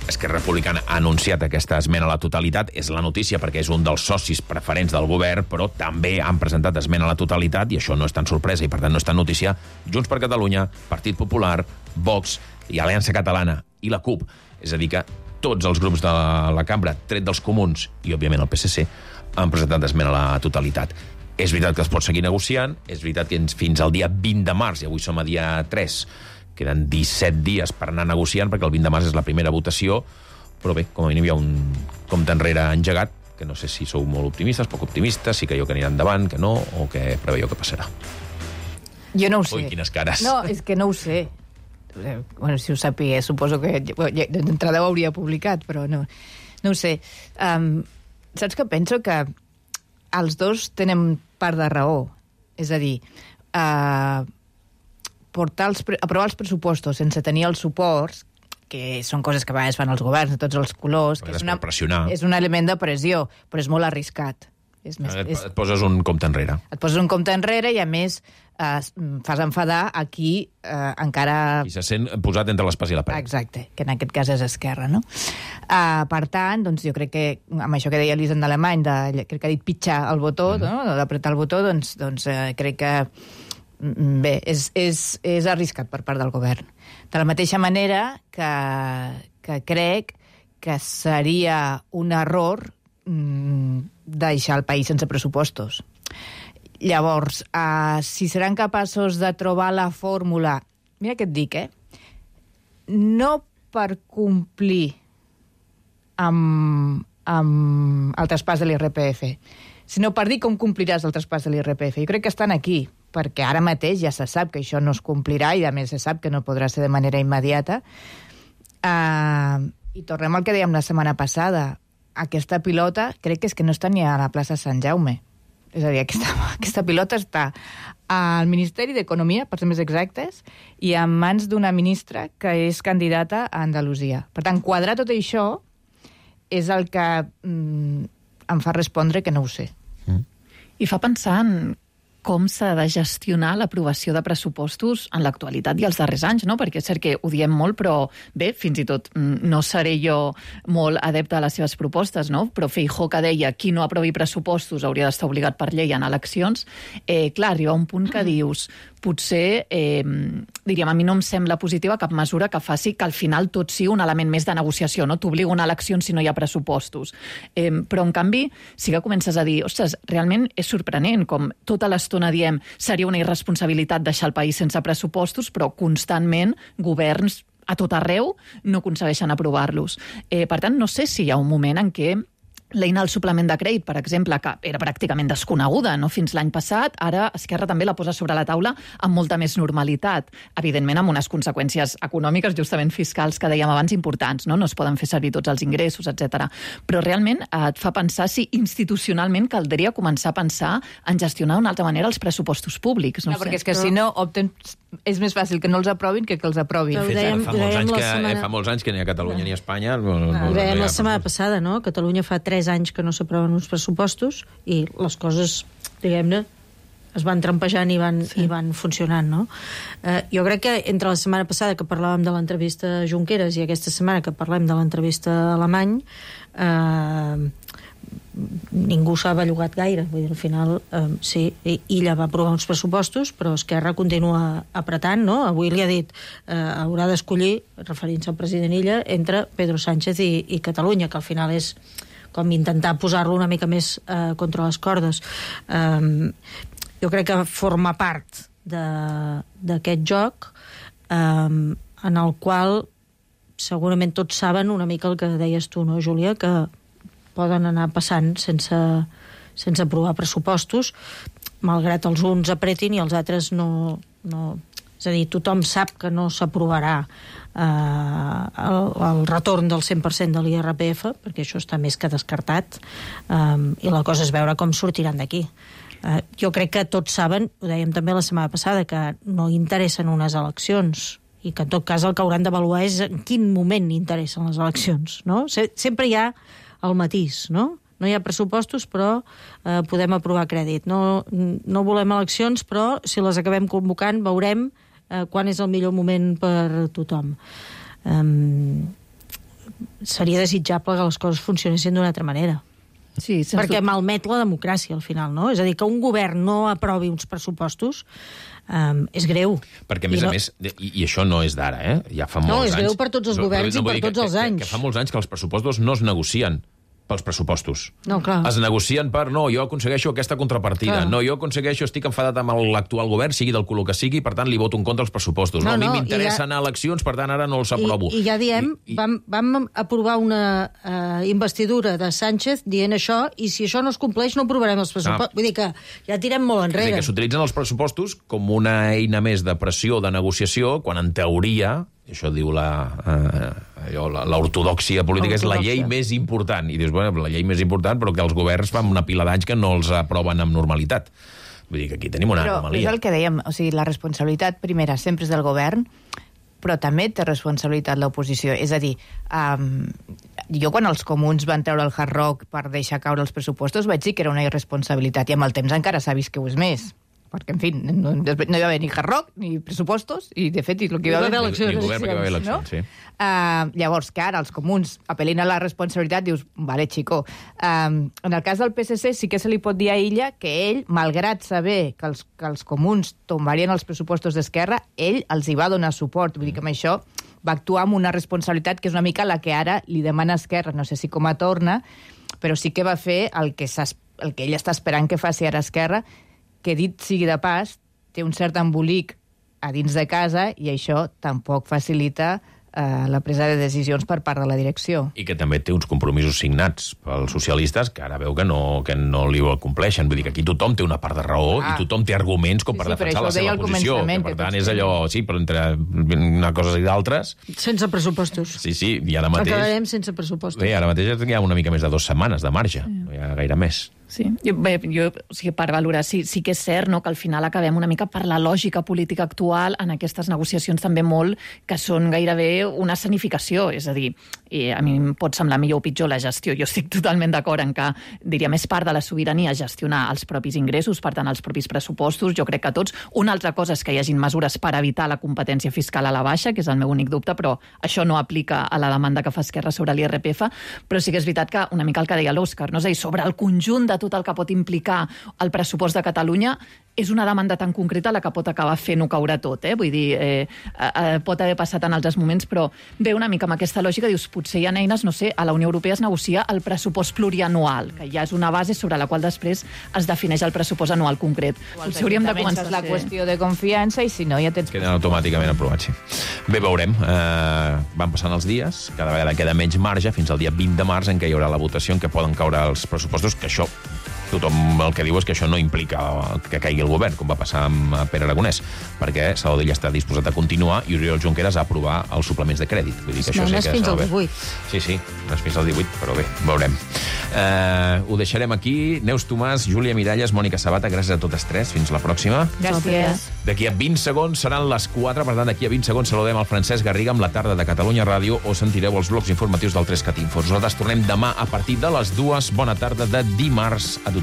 Esquerra Republicana ha anunciat aquesta esmena a la totalitat. És la notícia perquè és un dels socis preferents del govern, però també han presentat esmena a la totalitat, i això no és tan sorpresa, i per tant no és tan notícia, Junts per Catalunya, Partit Popular, Vox i Aliança Catalana i la CUP. És a dir que tots els grups de la cambra, tret dels comuns i, òbviament, el PSC, han presentat esmena a la totalitat. És veritat que es pot seguir negociant, és veritat que fins al dia 20 de març, i avui som a dia 3, queden 17 dies per anar negociant, perquè el 20 de març és la primera votació, però bé, com a mínim hi ha un compte enrere engegat, que no sé si sou molt optimistes, poc optimistes, si creieu que anirà endavant, que no, o que preveieu que passarà. Jo no ho sé. Ui, quines cares. No, és que no ho sé. Bueno, si ho sàpiga, suposo que d'entrada ho hauria publicat, però no ho sé. Saps què penso? Que els dos tenen part de raó. És a dir, aprovar els pressupostos sense tenir els suports, que són coses que a vegades fan els governs de tots els colors, que és un element de pressió, però és molt arriscat. Et poses un compte enrere. Et poses un compte enrere i, a més, fas enfadar a qui encara... Qui se sent posat entre l'espasa i la paret. Exacte, que en aquest cas és Esquerra, no? Per tant, doncs jo crec que, amb això que deia l'Elisenda Alemany, crec que ha dit pitjar el botó, no? D'apretar el botó, doncs crec que bé, és arriscat per part del govern. De la mateixa manera que crec que seria un error deixar el país sense pressupostos. Llavors, si seran capaços de trobar la fórmula... Mira què et dic, no per complir amb el traspàs de l'IRPF, sinó per dir com compliràs el traspàs de l'IRPF. Jo crec que estan aquí, perquè ara mateix ja se sap que això no es complirà i, a més, se sap que no podrà ser de manera immediata. I tornem al que dèiem la setmana passada. Aquesta pilota crec que és que no està ni a la plaça Sant Jaume. És a dir, aquesta pilota està al Ministeri d'Economia, per ser més exactes, i en mans d'una ministra que és candidata a Andalusia. Per tant, quadrar tot això és el que em fa respondre que no ho sé. I fa pensar en com s'ha de gestionar l'aprovació de pressupostos en l'actualitat i els darrers anys, no? Perquè és cert que ho diem molt, però bé, fins i tot no seré jo molt adepte a les seves propostes, no? Però Feijóo, que deia qui no aprovi pressupostos hauria d'estar obligat per llei en eleccions, clar, arriba un punt que dius potser, diríem, a mi no em sembla positiva cap mesura que faci que al final tot sigui un element més de negociació, no? T'obliga una elecció si no hi ha pressupostos. Però, en canvi, sí que comences a dir, ostres, realment és sorprenent com tota l'estona diem seria una irresponsabilitat deixar el país sense pressupostos, però constantment governs a tot arreu no aconsegueixen aprovar-los. Per tant, no sé si hi ha un moment en què l'eina del suplement de crèdit, per exemple, que era pràcticament desconeguda, no? Fins l'any passat, ara Esquerra també la posa sobre la taula amb molta més normalitat. Evidentment, amb unes conseqüències econòmiques, justament fiscals, que dèiem abans, importants, no? No es poden fer servir tots els ingressos, etc. Però realment et fa pensar si institucionalment caldria començar a pensar en gestionar d'una altra manera els pressupostos públics. No, perquè és que si no opten... És més fàcil que no els aprovin que els aprovin. Fa molts anys que ni a Catalunya ni a Espanya... Ho dèiem la setmana passada, no? Catalunya fa 3 anys que no s'aproven uns pressupostos i les coses, diguem-ne, es van trampejant i van funcionant, no? Jo crec que entre la setmana passada que parlàvem de l'entrevista a Junqueras i aquesta setmana que parlem de l'entrevista a Alemany, ningú s'ha bellugat gaire. Vull dir, al final, sí, ella va aprovar uns pressupostos, però Esquerra continua apretant, no? Avui li ha dit haurà d'escollir, referint-se al president Illa, entre Pedro Sánchez i Catalunya, que al final és com intentar posar-lo una mica més contra les cordes. Jo crec que forma part d'aquest joc en el qual segurament tots saben una mica el que deies tu, no, Júlia, que poden anar passant sense aprovar pressupostos, malgrat els uns apretin i els altres no. És a dir, tothom sap que no s'aprovarà el retorn del 100% de l'IRPF, perquè això està més que descartat, i la cosa és veure com sortiran d'aquí. Jo crec que tots saben, ho dèiem també la setmana passada, que no interessen unes eleccions, i que en tot cas el que hauran d'avaluar és en quin moment interessen les eleccions, no? Sempre hi ha el matís, no? No hi ha pressupostos, però podem aprovar crèdit. No volem eleccions, però si les acabem convocant veurem quan és el millor moment per tothom. Seria desitjable que les coses funcionessin d'una altra manera. Sí, perquè malmet la democràcia al final, no? És a dir, que un govern no aprovi uns pressupostos és greu. Perquè, a més, i això no és d'ara, ja fa molts anys... No, és greu per tots els governs i per tots els anys. Que fa molts anys que els pressupostos no es negocien pels pressupostos. No, clar. Es negocien per, no, jo aconsegueixo aquesta contrapartida, no, jo aconsegueixo, estic enfadat amb l'actual govern, sigui del color que sigui, per tant li voto en contra els pressupostos. No, a mi m'interessa anar a eleccions, per tant ara no els aprovo. I ja diem, vam aprovar una investidura de Sánchez dient això, i si això no es compleix no aprovarem els pressupostos. Vull dir que ja tirem molt enrere. És a dir, que s'utilitzen els pressupostos com una eina més de pressió, de negociació, quan en teoria... Això diu l'ortodòxia política, és la llei més important. I dius, bueno, la llei més important, però que els governs fan una pila d'anys que no els aproven amb normalitat. Vull dir que aquí tenim una anomalia. Però és el que dèiem, o sigui, la responsabilitat primera sempre és del govern, però també té responsabilitat l'oposició. És a dir, jo quan els comuns van treure el Hard Rock per deixar caure els pressupostos vaig dir que era una irresponsabilitat, i amb el temps encara s'ha vist que ho és més. Perquè, en fi, no hi va haver ni Hard Rock, ni pressupostos, i, de fet, el que hi va haver... Ni govern, perquè hi va haver eleccions, sí. Llavors, que ara els comuns apel·lin a la responsabilitat, dius, vale, chico. En el cas del PSC sí que se li pot dir a Illa que ell, malgrat saber que els comuns tombarien els pressupostos d'Esquerra, ell els hi va donar suport. Vull dir que amb això va actuar amb una responsabilitat que és una mica la que ara li demana Esquerra. No sé si com a torna, però sí que va fer el que ell està esperant que faci ara Esquerra, que dit sigui de pas, té un cert embolic a dins de casa i això tampoc facilita la presa de decisions per part de la direcció. I que també té uns compromisos signats pels socialistes que ara veu que no li ho compleixen. Vull dir que aquí tothom té una part de raó i tothom té arguments com per defensar la seva posició. Que, per tant, és allò, sí, però entre una cosa i d'altres... Sense pressupostos. Sí, i ara mateix... Acabarem sense pressupostos. Bé, ara mateix hi ha una mica més de 2 setmanes de marge. No hi ha gaire més. Sí, o sigui, per valorar, sí que és cert, no?, que al final acabem una mica per la lògica política actual en aquestes negociacions també molt que són gairebé una escenificació, és a dir, a mi em pot semblar millor o pitjor la gestió. Jo estic totalment d'acord en que, diria, més part de la sobirania gestionar els propis ingressos, per tant, els propis pressupostos, jo crec que tots. Una altra cosa és que hi hagin mesures per evitar la competència fiscal a la baixa, que és el meu únic dubte, però això no aplica a la demanda que fa Esquerra sobre l'IRPF, però sí que és veritat que una mica el que deia l'Òscar, no? És a dir, sobre el conjunt de tot el que pot implicar el pressupost de Catalunya, és una demanda tan concreta la que pot acabar fent-ho caure tot, Vull dir, pot haver passat en altres moments, però ve una mica amb aquesta lògica, dius, potser hi ha eines, no sé, a la Unió Europea es negocia el pressupost plurianual, que ja és una base sobre la qual després es defineix el pressupost anual concret. Potser hauríem de començar a la qüestió de confiança i si no ja tens... Queden automàticament aprovats, sí. Bé, veurem. Van passant els dies, cada vegada queda menys marge, fins al dia 20 de març, en què hi haurà la votació, en què poden caure els pressupostos, que això... Tothom el que diu és que això no implica que caigui el govern, com va passar amb Pere Aragonès, perquè Salvador està disposat a continuar i Oriol Junqueras a aprovar els suplements de crèdit. Vull dir que això sí que fins al 18. Sí, no és fins al 18, però bé, veurem. Ho deixarem aquí. Neus Tomàs, Júlia Miralles, Mònica Sabata, gràcies a totes tres. Fins la pròxima. Gràcies. D'aquí a 20 segons seran les 4, per tant, d'aquí a 20 segons saludem el Francesc Garriga amb la tarda de Catalunya Ràdio o sentireu els blocs informatius del 3CAT Info. Nosaltres tornem demà a partir de les 2. Bona tarda de dimarts a tothom.